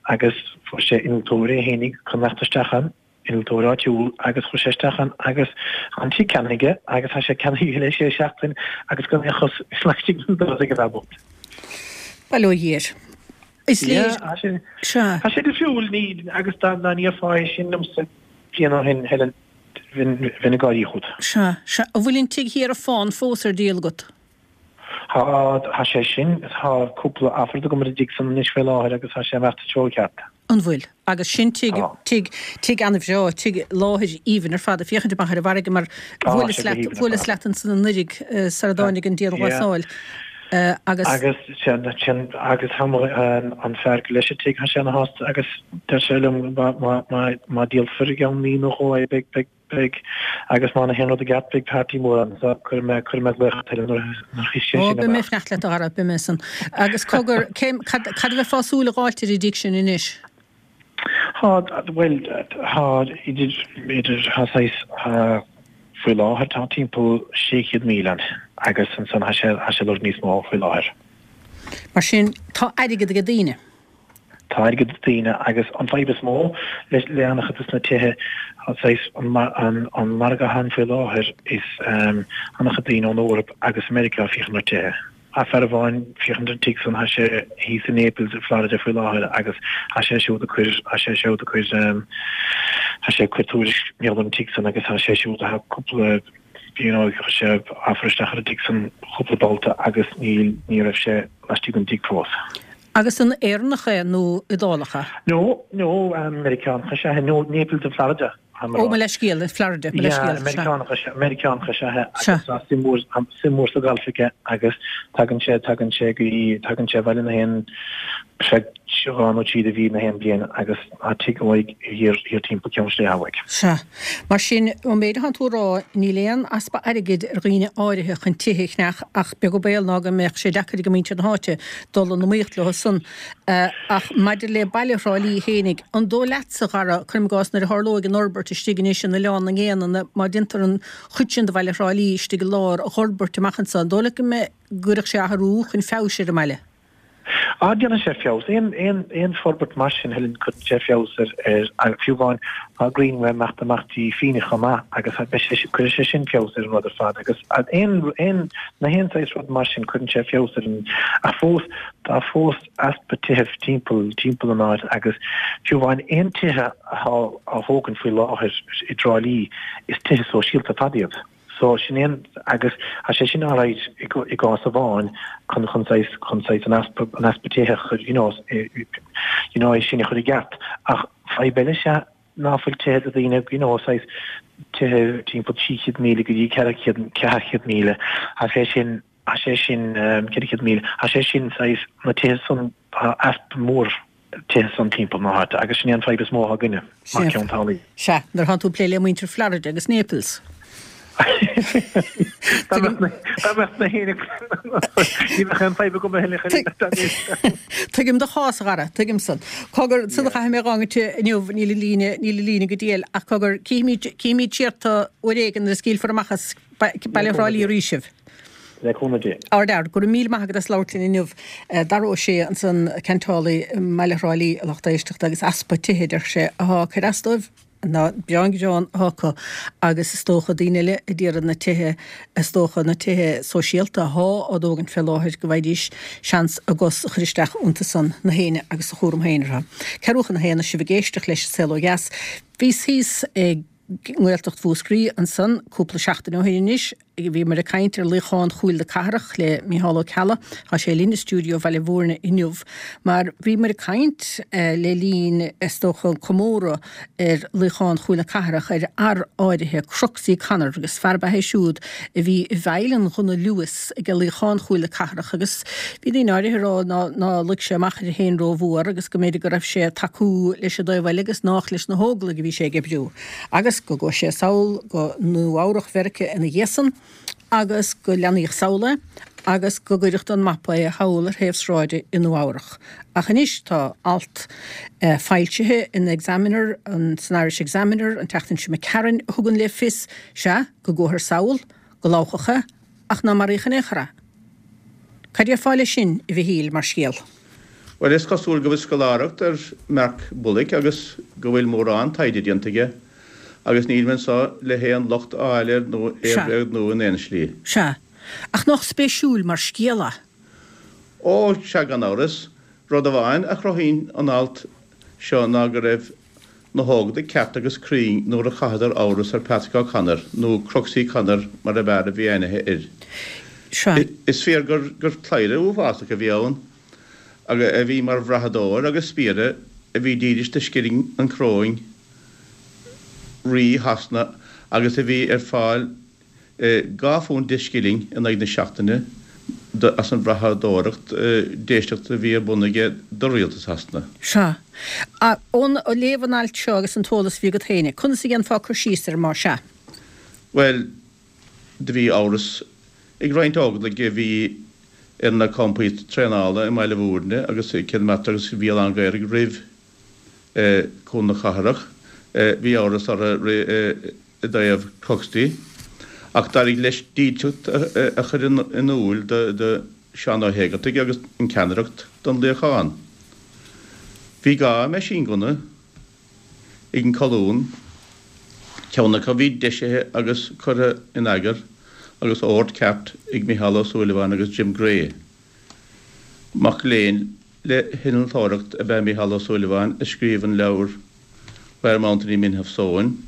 [SPEAKER 4] agus fuair sé innealtóir é fhéinig chun imeacht isteach ann, innealtóir áitiúil agus chuaigh sé isteach ann agus tá an tigh ceannaithe aige agus tá sé ceannaithe aige le sé seachtain agus gan aon chos laistigh den doras ag an bhfear bocht.
[SPEAKER 1] Bail ó Dhia air. Is léir.
[SPEAKER 4] Yeah, tá sé, tá sé difriúil ní agus dá ndéarfá é sin liomsa bliain ó shin Helen Bheinn ag gáirí fút.
[SPEAKER 1] Sea, sea. An bhfuil an tigh thiar ar fán fós ar díol agat?
[SPEAKER 4] Tá, tá sé sin, tá cúpla offer agam ar an dtigh san anois faoi láthair agus tá sé ag imeacht sa treo ceart.
[SPEAKER 1] An bhfuil? Agus sin tigh,
[SPEAKER 4] Tá.
[SPEAKER 1] tigh, tigh an-bhreá, tigh láthair aoibhinn ar fad, ag féachaint amach ar an bhfarraige mar
[SPEAKER 4] Tá
[SPEAKER 1] bhuaileas
[SPEAKER 4] sé go
[SPEAKER 1] leat,
[SPEAKER 4] haoibhinn ar
[SPEAKER 1] bhuaileas
[SPEAKER 4] fad.
[SPEAKER 1] leat ansan anuraidh sara dtáinig an
[SPEAKER 4] Yeah.
[SPEAKER 1] dianghlasáil agus.
[SPEAKER 4] Agus sin, sin, agus tá mo, an fear gur leis an tigh, tá sé ana-shásta agus deir sé liom má, má, má, má díolfar i gceann mí nó dhó é beidh, beidh, beidh, agus má théann rud i gceart beidh party mór ann so cuirfidh mé, cuirfidh mé glaoch ort nuair a, nuair a thit sé
[SPEAKER 1] Ó,
[SPEAKER 4] sin
[SPEAKER 1] beidh mé
[SPEAKER 4] amach.
[SPEAKER 1] ag fanacht leat a Dhara, beidh mé san. Agus cogar, cé, cad, cad a bheifeá ag súil a dh'fháilt ar an dtigh sin anois?
[SPEAKER 4] Tá, bhuel, tá idir, idir, tá saghas, tá, faoi láthair tá timpeall 600,000 ann agus ansan tá sé, tá sé ag lorg níos mó faoi láthair.
[SPEAKER 1] Mar sin, tá airgead ag daoine.
[SPEAKER 4] Tá airgead ag daoine agus an fadhb is mó le, le an-chuid de na tithe, tá saghas, an, an, an margadh atá ann faoi láthair is an-chuid daoine ón Eoraip agus Meiriceá ag féachaint ar tithe. Tá fear amháin féachaint ar an tigh san, tá sé thíos i Naples i Florida faoi láthair agus tá sé siúd ag cur, tá sé siúd ag cur, tá sé ag cur tuairisc mar gheall ar an tigh san agus tá sé siúd, tá cúpla, you know, chuir sé offer isteach ar an tigh san cúpla babhta agus níl, ní raibh sé laistigh den tigh fós.
[SPEAKER 1] Agus an Éireannach é nó Iodálach é?
[SPEAKER 4] No, no, Meiriceánach is ea é, no, Naples i Florida.
[SPEAKER 1] Ó, mo leithscéal, i Florida, mo leithscéal, sea.
[SPEAKER 4] Meiriceánach, Meiriceánach is ea é agus tá suim mhór, suim mhór sa ghalf aige agus tagann sé, tagann sé go, tagann sé abhaile na haon. Sea, 2 nó 3 de mhí na haon bhliain agus tá tigh uaidh thiar thiar timpeall Ceann Sléibhe uaidh.
[SPEAKER 1] Sea. Mar sin, ón méid atánn tú a rá, níl aon easpa airgid ar dhaoine áirithe chun tithe a cheannach ach beag an baol ná go mbeadh sé deacair ag muintir na háite dul in iomaíocht leo san. Ach maidir le baile Thrá Lí fhéinig, an dóigh leatsa, a Dhara, cuirim i gcás, nuair a tharlóidh an fhorbairt istigh anois in Oileán na nGéanna, má déantar an chuid sin de bhaile Thrá Lí istigh i lár a dh'fhorbairt amach anso, an dóigh leat go mbeidh, go gcuirfeadh sé athrú chun feabhais ar an mbaile?
[SPEAKER 4] Á, déanann sé feabhas. Aon, aon, aon forbairt mar sin, Helen, cuireann sé feabhas ar, ar, ar, fiú amháin tá Greenway ag imeacht amach dtí Fenagh chomh maith agus beidh sé, cuirfidh sé sin feabhas ar an rud ar fad agus aon, aon, na haon saghas rud mar sin cuireann sé feabhas ar an, ach fós, tá fós easpa tithe timpeall, timpeall an áit agus fiú amháin aon tithe atá á thógaint faoi láthair i dTrá Lí, is tithe sóisialta ar fad iad. So, sin é an, agus tá sé sin alright i gcás amháin chun, chun saghas, chun saghas an easpa, an easpa tithe a chur, you know, you know, é sin a chur i gceart. Ach fadhb eile is ea ná fuil tithe do dhaoine, you know, saghas tithe timpeall 300,000 go dtí 400, 400,000, tá sé sin, tá sé sin, 400,000, tá sé sin saghas, na tithe san, tá easpa mór tithe san timpeall na háite agus sin é an fadhb is mó atá againne mar
[SPEAKER 1] Ceann Teaghlaigh. Sea, nuair atánn tú ag plé le muintir Florida agus Naples.
[SPEAKER 4] Dá mbeadh na héinne ní bheadh aon fadhb agam a thuilleadh.
[SPEAKER 1] Tuigim do chás, a Dhara, tuigim san. Cogar, san a chaithfidh mé a dh'fhágaint inniu, níl an líne, níl an líne go diail, ach cogar, cífimid, cífimid siar tú uair éigin nuair a scaoilfear amach as Baile Thrá Lí arís sibh.
[SPEAKER 4] Le cúnamh Dé.
[SPEAKER 1] Ardfhear, go raibh míle maith agat as labhairt linn inniu. Dara Ó Sé ansan, ceantálaí i mbaile Thrá Lí, a lucht éisteachta, agus easpa tithe, a deir sé, atá ag cur as dóibh, ná breá an greann atá acu agus is dócha daoine eile a d'iarraidh na tithe, is dócha na tithe sóisialta athá á dtógaint fé láthair go bhfaighidís seans a gcos a chur isteach iontu san, na héinne agus a chúram féin orthu. Ceathrú chun a haon, sibh ag éisteacht leis an Saol Ó Dheas. Bhíos thíos i nGaeltacht Mhúscraí ansan cúpla seachtain ó shin anois. Bhíomar ag caint ar luíochán Chúil na Cathrach le Micheál Ó Ceallaigh. Tá sé linn i stiúideo Bhaile Mhúirne inniu mar bhíomar ag caint le linn, is dócha, an comóradh ar luíochán Chúil na Cathrach ar fhear áirithe, Cruxy Connor, agus fear ab ea é siúd a bhí i bhfeighil an ghunna Lewis ag luíochán Chúil na Cathrach agus bhí daoine áirithe ag rá ná ná luigh sé amach air féin rómhór agus go mb'fhéidir go raibh sé ag tacú leis an dtaobh eile agus nách leis na hÓglaigh a bhí sé ag oibriú. Agus go gcuaigh sé sall go Nua-Eabhrac Mheiriceá ina dhiaidh san agus go leannaíodh sall é agus go gcuireadh don mapa é thall ar thaobh sráide i Nua-Eabhrac. Ach anois tá alt foilsithe in Examiner, san Irish Examiner an tseachtain seo imigh tharainn, a thugann le fios, sea, go gcuathar sall, go labhchadh é, ach ná maraíodh in aon chor é. Cad déarfá leis sin, a Mhichíl, mar scéal?
[SPEAKER 5] Bhuel, is cosúil go bhfuil scoláireacht ar Mark Bullock agus go bhfuil mórán taighde déanta aige, agus nílim anseo le haon locht a fháil air nó é a bhréagnú in aon slí.
[SPEAKER 1] Sea. Ach nách spéisiúil mar scéal é?
[SPEAKER 5] Ó, sea, gan amhras. Rud amháin a chruthaíonn an alt seo ná go raibh na hÓglaigh ceart agus cruinn nuair a chaitheadar amhras ar Patrick O'Connor, nó Cruxy Connor mar ab fhearr a bhí aithne air.
[SPEAKER 1] Sea.
[SPEAKER 5] Is fíor gur cladhaire uafásach a bhí ann, a bhí mar bhrathadóir agus spiaire a bhí dílis do scilling an choróin Rí Shasana agus a bhí ar fáil £2 10 scilling in aghaidh na seachtaine as an bhrathadóireacht d'éisteacht a bhí ar bun aige do rialtas Shasana.
[SPEAKER 1] Sea. Ó léamh an ailt seo agus an t-eolas a bhí agat féin, conas a dhéanfá cur síos air más ea?
[SPEAKER 5] Bhuel, do bhí amhras ag roinnt Óglaigh a bhí ar na campaí traenála i mBaile Mhúirne agus i Cill Mata agus a bhí i Lann Ghaorthaidh roimh Cúl na Cathrach. Bhí amhras orthu i dtaobh Croxley, ach d'éirigh leis dílseacht a chur in iúl do Sheán Ó hÉigeartaigh agus an ceannaireacht don luíochán. Bhí 2 meaisínghunna ag an colún, ceann acu a bhí deisithe agus curtha in eagar agus ord ceart ag Micheál Ó Súilleabháin agus Jim Gray. Mac léinn le hinnealtóireacht ab ea Micheál Ó Súilleabháin a scríobh an leabhar Where Mountainy Men Have Sown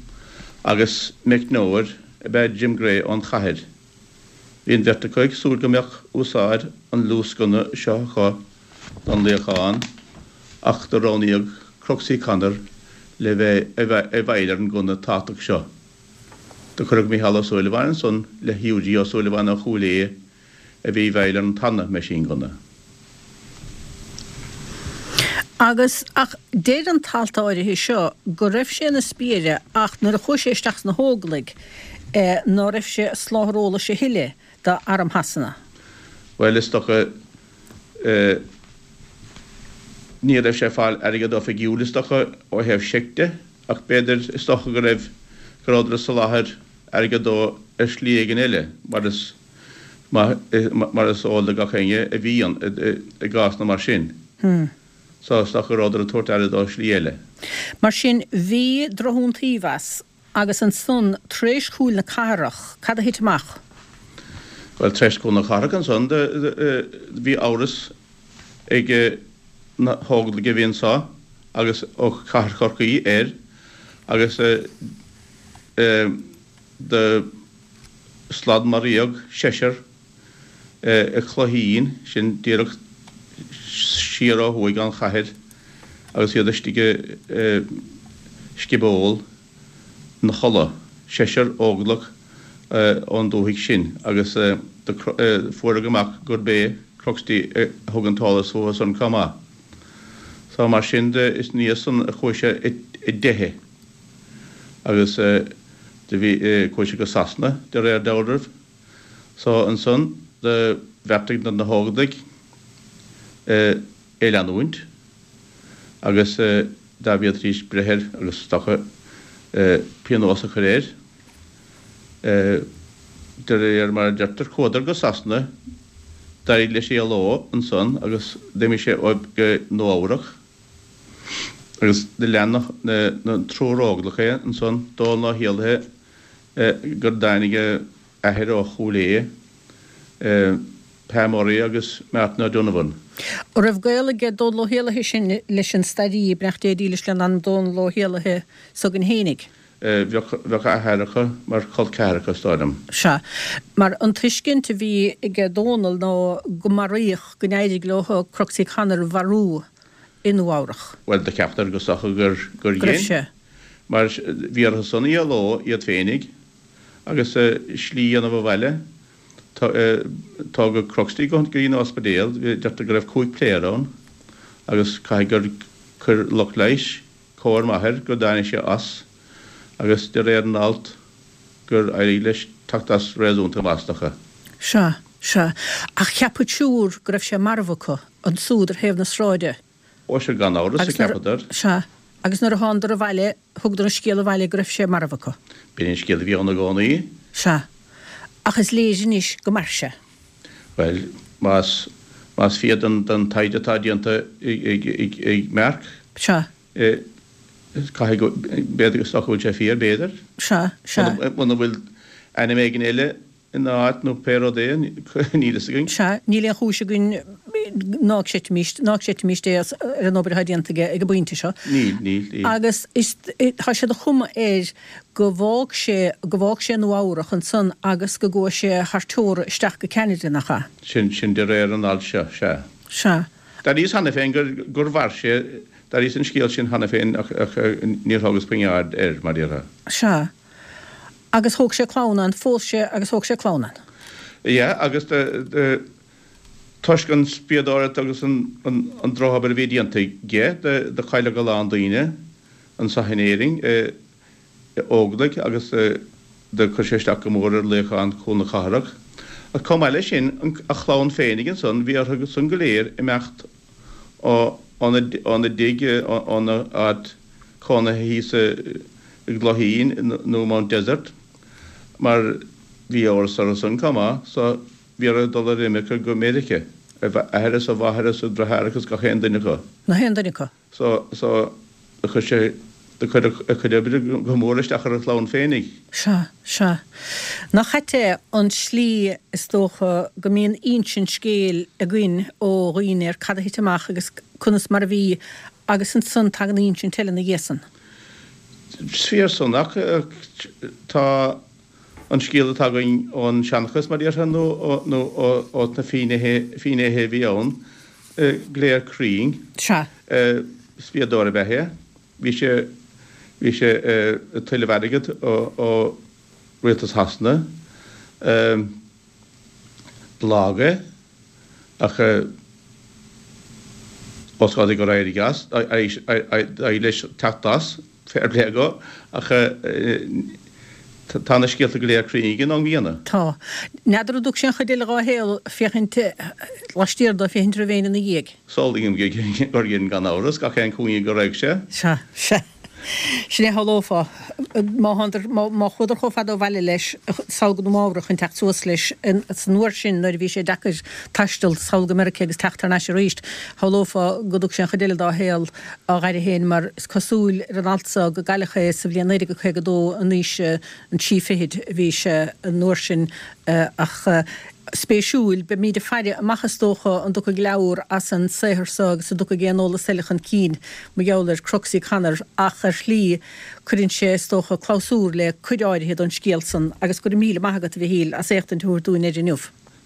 [SPEAKER 5] agus meicneoir ab ea Jim Gray ón chathair. Bhí an bheirt acu ag súil go mbeadh úsáid an luasghunna seo acu don luíochán ach do roghnaíodh Cruxy Connor le bheith i bhfeighil ar an ngunna tábhachtach seo. Do cuireadh Micheál Ó Súilleabháin ansan le Hughie Ó Súilleabháin ó Chúil Aodha a bhí i bhfeighil ar an tarna meaisínghunna.
[SPEAKER 1] Agus, ach deir an t-alt áirithe seo go raibh sé ina spiaire ach nuair a chuaigh sé isteach sna hÓglaigh eh ná raibh sé ag soláthar eolais a thuilleadh d'arm Shasana.
[SPEAKER 5] Bhuel, is dócha eh ní raibh sé ag fáil airgead oifigiúil is dócha ó thaobh seic de ach b'fhéidir, is dócha go raibh, go rabhadar ag soláthar airgead dó ar shlí éigin eile mar is mar is eol do gach éinne a bhíonn i gcásanna mar sin. So, is dócha go rabhadar ag tabhairt aire dó slí eile.
[SPEAKER 1] Mar sin, bhí drochiontaoibh as, agus ansan, tar éis Chúil na Cathrach, cad a thit amach?
[SPEAKER 5] Bhuel, tar éis Chúil na Cathrach ansan, bhí amhras ag na hÓglaigh a bhí anso agus ó Chathair Chorcaí air agus do sladmharaíodh seisear i Clogheen, sin díreach siar ó thuaidh ón chathair, agus iad istigh i sciobóil 'na chodladh, seisear Óglach ón dúthaigh sin, agus fuaireadh amach gurb é Croxty a thug an t-eolas fúthu san chomh maith. So mar sin de, is ina dhiaidh san a chuaigh sé i dteitheadh. Agus do bhí, chuaigh sé go Sasana, de réir dealraimh. So ansan do bheartaigh na hÓglaigh é leanúint agus dá bhféadfaidís breith air agus is dócha pionós a chur air. De réir mar a deirtear, chuadar go Sasana, d'éirigh leis éaló ansan agus d'imigh sé go Nua Eabhrac. Agus do lean na triúr Óglach é ansan, Dónall Ó hÉallaithe, gur dtáinig a athair ó Chúil Aodha, Pa Murray agus Martin O'Donovan.
[SPEAKER 1] An raibh gaol aige Dónall Ó hÉallaithe sin leis an stairí, beannacht Dé dílis lena anam, Dónall Ó hÉallaithe s'againn fhéinig?
[SPEAKER 5] Bheadh a athair mar chol ceathracha, is dóigh liom.
[SPEAKER 1] Sea. Mar an tuiscint a bhí aige Dónall ná go maraíodh, go n-éirigh leo Croxy Connor a mharú i Nua Eabhrach.
[SPEAKER 5] Bhuel, do cheapadar go is dócha gur gur
[SPEAKER 1] Go raibh sé.
[SPEAKER 5] Mar bhí orthu san éaló iad féinig agus slí a dhéanamh abhaile. Tógadh Croxty go dtí an ospidéal, deirtear go raibh 5 pléar ann agus caithfidh gur chuir lucht leighis cóir maith air go dtáinig sé as agus de réir an alt gur éirigh leis teacht as réasúnta maith is dócha.
[SPEAKER 1] Sea, sea. Ach cheap an triúr go raibh sé marbh acu, ansúd ar thaobh na sráide.
[SPEAKER 5] Ó sea, gan amhras, a cheapadar.
[SPEAKER 1] Sea. Agus nuair a thánadar abhaile, thugadar an scéal abhaile go raibh sé marbh acu.
[SPEAKER 5] B'in an scéal a bhí ann i gcónaí.
[SPEAKER 1] Sea. Ach is léir anois go mair sé.
[SPEAKER 5] Bhuel, más, más fíor don, don taighde atá déanta ag, ag, ag Mark.
[SPEAKER 1] Sea.
[SPEAKER 5] Caithfidh go, b'fhéidir, is dócha go bhfuil sé fíor, b'fhéidir.
[SPEAKER 1] Sea, sea.
[SPEAKER 5] Muna bhfuil ainm éigin eile ina áit nó pé rud é, níl fhios againn.
[SPEAKER 1] Sea, níl aon chúis againn ná creidfimis, ná creidfimis é as, ar an obair atá déanta aige ag an bpointe seo.
[SPEAKER 5] Níl, níl, níl.
[SPEAKER 1] Agus is, tá sé de chuma air go bhfág sé, go bhfág sé Nua Eabhrach ansan agus go gcuaigh sé thar teora isteach go Ceanada, nach ea?
[SPEAKER 5] Sin, sin de réir an ailt seo, sea.
[SPEAKER 1] Sea.
[SPEAKER 5] D'airíos cheana féin gur, gur mhair sé, d'airíos an scéal sin cheana féin ach, ach níor thógas puinn aird air, mar déarfá.
[SPEAKER 1] Sea. Agus thóg sé clann ann, phós sé agus thóg sé clann ann.
[SPEAKER 5] Yeah, agus de, de, toisc an spiadóireacht agus an, an, an drochobair a bhí déanta aige, do, do cailleadh a lán daoine anso in Éirinn, i, Óglaigh agus do chuir sé isteach go mór ar luíochán Chúl na Cathrach. Ach chomh maith leis sin, an, a chlann féinig ansan, bhí orthu san go léir imeacht óna dtigh, óna áit cónaithe thíos i gClogheen nó Mount Desert, mar bhí amhras orthu san chomh maith, so bhí orthu dul ar imirce go Meirice, a athair is a mháthair is a deartháireacha is gach aon duine acu.
[SPEAKER 1] Gach aon duine acu.
[SPEAKER 5] So, so, do chuir sé, do chuir a chuid oibre go mór isteach ar a chlann féinig.
[SPEAKER 1] Sea, sea. Nach ait é an tslí, is dócha, go mbíonn insint scéil againn ó dhaoine ar cad a thit amach agus conas mar a bhí agus ansan tagann insint eile ina dhiaidh san.
[SPEAKER 5] Is fíor san, ach tá an scéal atá againn ón seanchas, mar déarfá, nó ó na finnéithe a bhí ann, go léir cruinn.
[SPEAKER 1] Sea.
[SPEAKER 5] Spiadóir ab ea é. Bhí sé, bhí sé ag tuilleamh airgead ó Rialtas Shasana. Ba lag é, ach. Ós rud é gur éirigh as, d'éirigh leis teacht as, fair play dhó, ach tá na scéalta go léir cruinn aige an am gcéanna.
[SPEAKER 1] Tá. N'fheadar an dtug sé an chuid eile dhá shaol féachaint laistiar dó féachaint raibh éinne ina dhiaidh.
[SPEAKER 5] Samhlaím gur dhein gan amhras, gach aon chúinne go raibh sé.
[SPEAKER 1] Sea, sea. Sin é a shamhlófá. Má thánadar, má chuadar chomh fada ó bhaile leis, sall go Nua Eabhrac chun teacht suas leis san uair sin nuair a bhí sé deacair taisteal sall go Meiriceá agus teacht thar n-ais arís, shamhlófá go dtug sé an chuid eile dá shaol á ghaire féin mar is cosúil ar an alt so go gcailleadh é sa bhliain 1952 in aois an trí fichid a bhí sé an uair sin ach spéisiúil. Beimíd ag faire amach is dócha an dtiocfaidh leabhar as an saothar so agus an dtiocfaidh aon eolas eile chun cinn mar gheall ar Cruxy Conor ach ar shlí cuireann sé is dócha clabhsúr le cuid áirithe don scéal san agus go raibh míle maith agat a Mhichíl as éachtaint a thabhairt dúinn air inniu.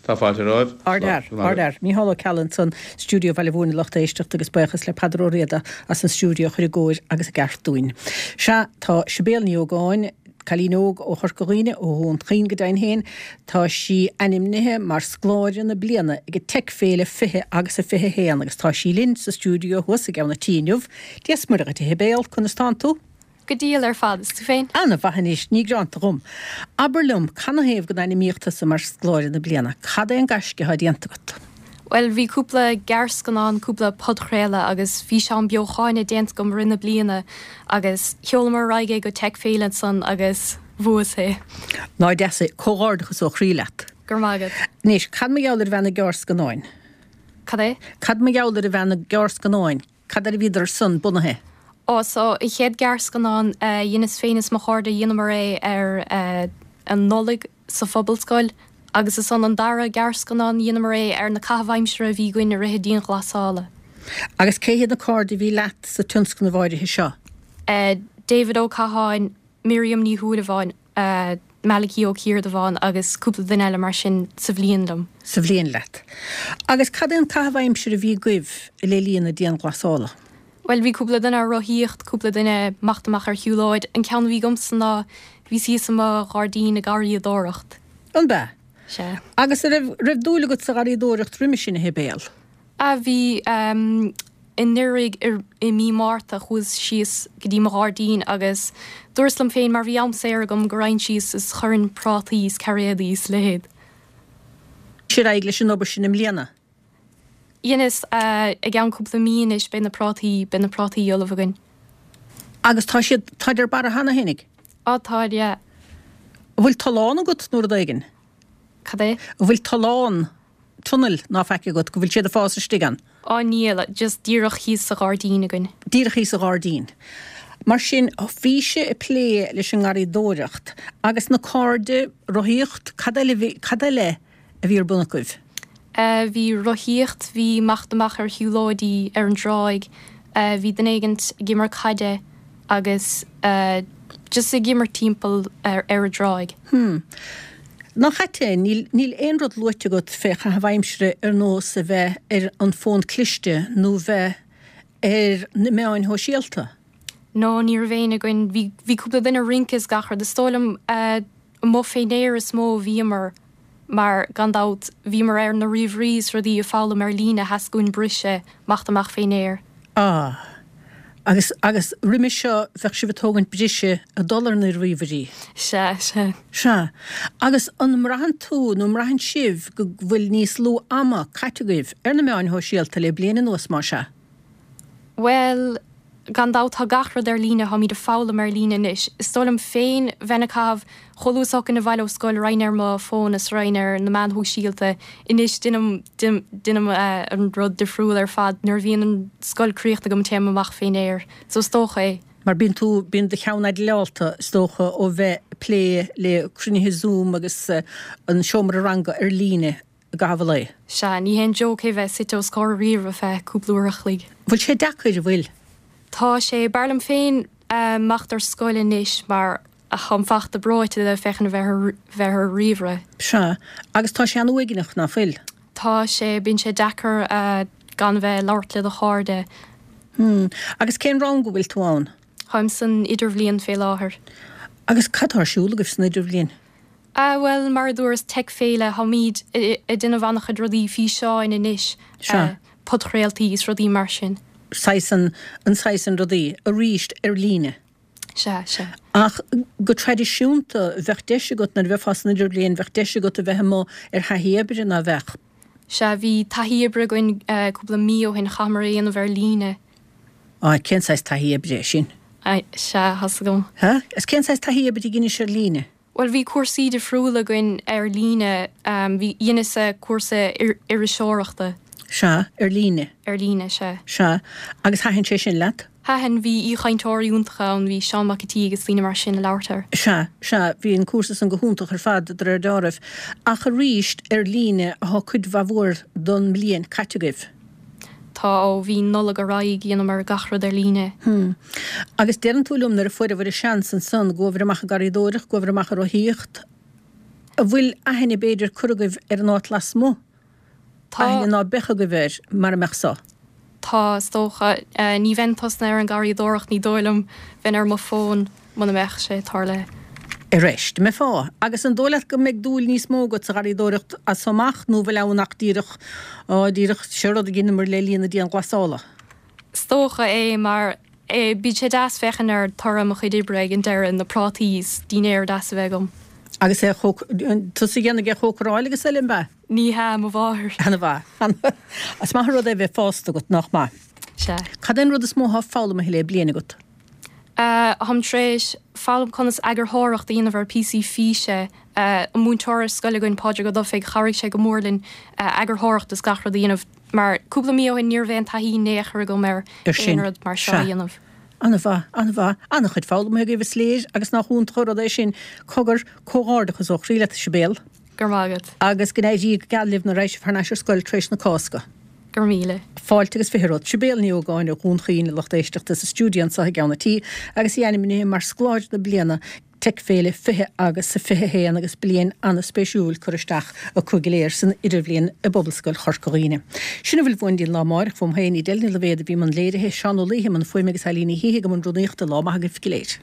[SPEAKER 5] Tá fáilte romhaibh.
[SPEAKER 1] Ardfhear, ardfhear. Mícheál Ó Ceallaigh ansan, Stiúideo Bhaile Mhúirne lucht éisteachta agus buíochas le Peadar Ó Riada as an stiúideo a chur i gcóir agus i gceart dúinn. Sea, tá Sibéal Ní Ógáin, Cailín óg ó Chorca Dhuibhne, ó Dhún Chaoin go deimhin féin, tá sí ainmnithe mar Scoláire na Bliana ag an Tech Féile 20 agus a 21 agus tá sí linn sa stiúideo thuas i gceann an tí inniu. Dia 's Muire dhuit a Shibéal, conas tánn tú?
[SPEAKER 6] Go diail ar fad, is tú féin?
[SPEAKER 1] Ana mhaith anois, ní greanta dhom. Abair liom, canathaobh go n-ainmníodh tusa mar Scoláire na Bliana? Cad é an gaisce atá déanta agat?
[SPEAKER 6] Bhuel, bhí cúpla gearrscannán, cúpla podchraoladh agus físeán beochaine déanta agam i rith na bliana agus sheolamar ar aghaidh é go Tech Féile ansan agus bhuas é.
[SPEAKER 1] Nach deas é. Comhghairdeachas ó chroí leat.
[SPEAKER 6] Go raibh maith agat.
[SPEAKER 1] Anois, cad mar gheall ar bhean na gearrscannáin?
[SPEAKER 6] Cad é?
[SPEAKER 1] Cad mar gheall ar bhean na gearrscannáin? Cad air a bhíodar san bunaithe?
[SPEAKER 6] Ó, so, an chéad gearrscannán a dheineas féin is mo chairde, dheineamar é ar an Nollaig sa Phobalscoil agus ansan an dara gearrscannán, dheineamar é ar na caithimh aimsire a bhí againn i rith na dianghlasála.
[SPEAKER 1] Agus cé hiad na cairde a bhí leat sa tionscnamh áirithe seo?
[SPEAKER 6] David Ó Catháin, Miriam Ní Shúilleabháin, Malachy Ó Ciardubháin agus cúpla duine eile mar sin sa bhliain liom.
[SPEAKER 1] Sa bhliain leat. Agus cad é an caitheamh aimsire a bhí agaibh le linn na dianghlasála?
[SPEAKER 6] Bhuel, bhí cúpla duine ag rothaíocht, cúpla duine ag imeacht amach ar shiúlóid. An ceann a bhí agamsa ná bhíos thíos i mo ghairdín ag garraíodóireacht.
[SPEAKER 1] An b'ea?
[SPEAKER 6] Sea.
[SPEAKER 1] Agus an raibh, raibh dúil agat sa gharraíodóireacht roimhe sin, a Shibéal?
[SPEAKER 6] Ah, bhí. Anuraidh i mí Márta chuas síos go dtí mo ghairdín agus dúras liom féin mar bhí am saor agam go raghainn síos is chuirfinn prátaí is cairéadaí is a leithéid.
[SPEAKER 1] Ar aghaidh leis an obair sin i mbliana.
[SPEAKER 6] Dheineas, i gceann cúpla mí anois beidh na prátaí, beidh na prátaí ullamh againn.
[SPEAKER 1] Agus tá siad, táid ar barra cheana fhéinig?
[SPEAKER 6] Á táid, yeah.
[SPEAKER 1] An bhfuil tollán agat nó rud éigin?
[SPEAKER 6] Cad é?
[SPEAKER 1] An bhfuil tollán, tunnel, ná faic agat, go bhfuil siad ag fás istigh ann?
[SPEAKER 6] Á níl, just díreach thíos sa ghairdín againn.
[SPEAKER 1] Díreach thíos sa ghairdín. Mar sin, bhís-se ag plé leis an ngarraíodóireacht agus na cairde, rothaíocht, cad eile, cad eile a bhí ar bun agaibh?
[SPEAKER 6] Bhí rothaíocht, bhí imeacht amach ar shiúlóidí ar an dtráigh, bhí duine éigint ag imirt caide agus just ag imirt timpeall ar an dtráigh.
[SPEAKER 1] Hmm. Nach ait é, níl, níl aon rud luaite agat fé chaitheamh aimsire ar nós a bheith ar an fón cliste nó bheith ar na meáin shóisialta.
[SPEAKER 6] No, ní raibh éinne againn. Bhí, bhí cúpla duine ag rince is gach rud. Is dóigh liom amuigh fén aer is mó a bhíomar mar, gan dabht, bhíomar ar na ríomhairí is rudaí ag foghlaim ar líne, theastaigh uainn briseadh, imeacht amach fén aer.
[SPEAKER 1] Ah. Agus, agus roimhe seo bheadh sibh ag tógaint briseadh ag dul ar na ríomhairí.
[SPEAKER 6] Sea, sea.
[SPEAKER 1] Sea. Agus an mbraitheann tú, nó an mbraitheann sibh go bhfuil níos lú ama caite agaibh ar na meáin shóisialta le bliain anuas, más ea?
[SPEAKER 6] Bhuel, gan dabht tá gach rud ar líne, táimid ag foghlaim ar líne anois. Is dóigh liom féin bheinn ag caitheamh, chomh luath is a thiocfainn abhaile ó scoil raghainn ar mo fón is raghainn ar na meáin shóisialta. Anois deinim, deinim an rud difriúil ar fad, nuair a bhíonn an scoil críochnaithe agam téim amach fén aer. So is dócha é.
[SPEAKER 1] Mar bíonn tú, bíonn do cheann aidleálta is dócha ó bheith ag plé le cruinnithe Zoom agus an seomra ranga ar líne. i gcaitheamh an lae.
[SPEAKER 6] Sea, ní haon joke é bheith suite os comhair ríomhaire feadh cúpla uair a chloig.
[SPEAKER 1] Bhfuil sé deacair, an bhfuil?
[SPEAKER 6] Tá sé. B'fhearr liom féin imeacht ar scoil anois mar táim fachta breoite de féachaint a bheith bheith ar ríomhaire.
[SPEAKER 1] Sea, agus tá sé an-uaigneach, ná fuil?
[SPEAKER 6] Tá sé. Bíonn sé deacair gan bheith ag labhairt le do chairde.
[SPEAKER 1] Hmm. Agus cén rang a bhfuil tú ann?
[SPEAKER 6] Táim san idirbhliain fé láthair.
[SPEAKER 1] Agus cad tá ar siúl agaibh san idirbhliain?
[SPEAKER 6] Ah bhuel, mar a dúras, Tech Féile, táimid ag déanamh an-chuid rudaí físeáin anois.
[SPEAKER 1] Sea.
[SPEAKER 6] Podchraoltaí is rudaí mar sin.
[SPEAKER 1] Saghas an, an saghas san rudaí, arís ar líne.
[SPEAKER 6] Sea, sea.
[SPEAKER 1] Ach go traidisiúnta, bheadh deis agat, nuair a bheifeá san idirbhliain, bheadh deis agat a bheith amuigh ar thaithí oibre, ná beadh?
[SPEAKER 6] Sea, bhí taithí oibre againn cúpla mí ó shin, chaitheamar é a dhéanamh ar líne.
[SPEAKER 1] Á, cén saghas taithí oibre é sin?
[SPEAKER 6] Sea, tá's agam.
[SPEAKER 1] Ha? Is cén saghas taithí oibre a dheinis ar líne?
[SPEAKER 6] Bhuel, bhí cúrsaí difriúla againn ar líne. Bhí, dheineas-sa cúrsa iriseoireachta.
[SPEAKER 1] Sea, ar líne.
[SPEAKER 6] Ar líne, sea.
[SPEAKER 1] Sea. Agus thaitin sé sin leat?
[SPEAKER 6] Thaitin, bhí aoichainteoirí iontacha ann, bhí Seán Mac a' tSíthigh agus daoine mar sin ag labhairt air.
[SPEAKER 1] Sea, sea, bhí an cúrsa san go hiontach ar fad, de réir deáraimh. Ach arís, ar líne athá cuid mhaith mhór don mbliain caite agaibh.
[SPEAKER 6] Tá, ó bhí Nollaig ar aghaidh, dheineamar gach rud ar líne.
[SPEAKER 1] Hm. Agus deireann tú liom nuair a fuaireabhair an seans ansan, ghuabhair amach ag garraíodóireacht, ghuabhair amach ag rothaíocht, a' bhfuil aithne b'fhéidir curtha agaibh ar an áit lasmuigh?
[SPEAKER 6] Tá.
[SPEAKER 1] Aithne ná beadh agaibh air mara mbeadh so?
[SPEAKER 6] Tá, is dócha. Ní bheinn tosnaithe ar an garraíodóireacht, ní dóigh liom, bheinn ar mo fón muna mbeadh sé tarlaithe.
[SPEAKER 1] Arís, an mbeifeá? Agus an dóigh leat go mbeidh dúil níos mó agat sa gharraíodóireacht as so amach nó bhfuil ann ach díreach, á, díreach, seo rud a dheineamar le linn na dianghlasála?
[SPEAKER 6] Is dócha é, mar bíonn sé deas féachaint ar toradh mo chuid oibre ag an deireadh, na prátaí is dinnéar deas a bheith agam.
[SPEAKER 1] Agus é a chóc, tusa a dhéanfaidh é a chócaráil agus eile, an b'ea?
[SPEAKER 6] Ní hea, mo mháthair.
[SPEAKER 1] Ana-mhaith, ana-mhaith. Is maith an rud é bheith fásta agat, nach maith?
[SPEAKER 6] Sea.
[SPEAKER 1] Cad é an rud is mó atá foghlamtha le bliain agat?
[SPEAKER 6] Táim tar éis foghlaim conas eagarthóireacht a dhéanamh ar píosaí físe. An múinteoir ar scoil againn, Pádraig Ó Dufaigh, chabhraigh sé go mór linn eagarthóireacht is gach rud a dhéanamh mar cúpla mí ó shin ní raibh aon taithí in aon chor agam ar aon rud mar seo a dhéanamh.
[SPEAKER 1] An-mhaith, an-mhaith. An-chuid foghlamtha agaibh is léir agus nach iontach an rud é sin. Cogar, comhghairdeachas ó chroí leat, a Sibéal.
[SPEAKER 6] Go raibh maith agat.
[SPEAKER 1] Agus go n-éirí go geal libh nuair a raghaidh sibh thar n-ais ar scoil tar éis na Cásca.
[SPEAKER 6] Go raibh míle.
[SPEAKER 1] Fáilte agus 20 romhat. Sibéal Ní Ógáin ó Dhún Chaoin, a lucht éisteachta, sa stiúideo anseo i gceann an tí agus í ainmnithe mar Scoláire na Bliana Tech-Féile 20 agus 21 agus bliain an-spéisiúil curtha isteach acu go léir san Idirbhliain i bPobalscoil Chorca Dhuibhne. Sin a bhfuil uainn go dtí an lá amáireach, uaim féin, Edel Ní Loibhéad a bhí i mbun léirithe, Seán Ó Laoithe i mbun fuaime agus Eileen Ní Shíthigh i mbun rúnaíochta. Lá maith agaibh go léir.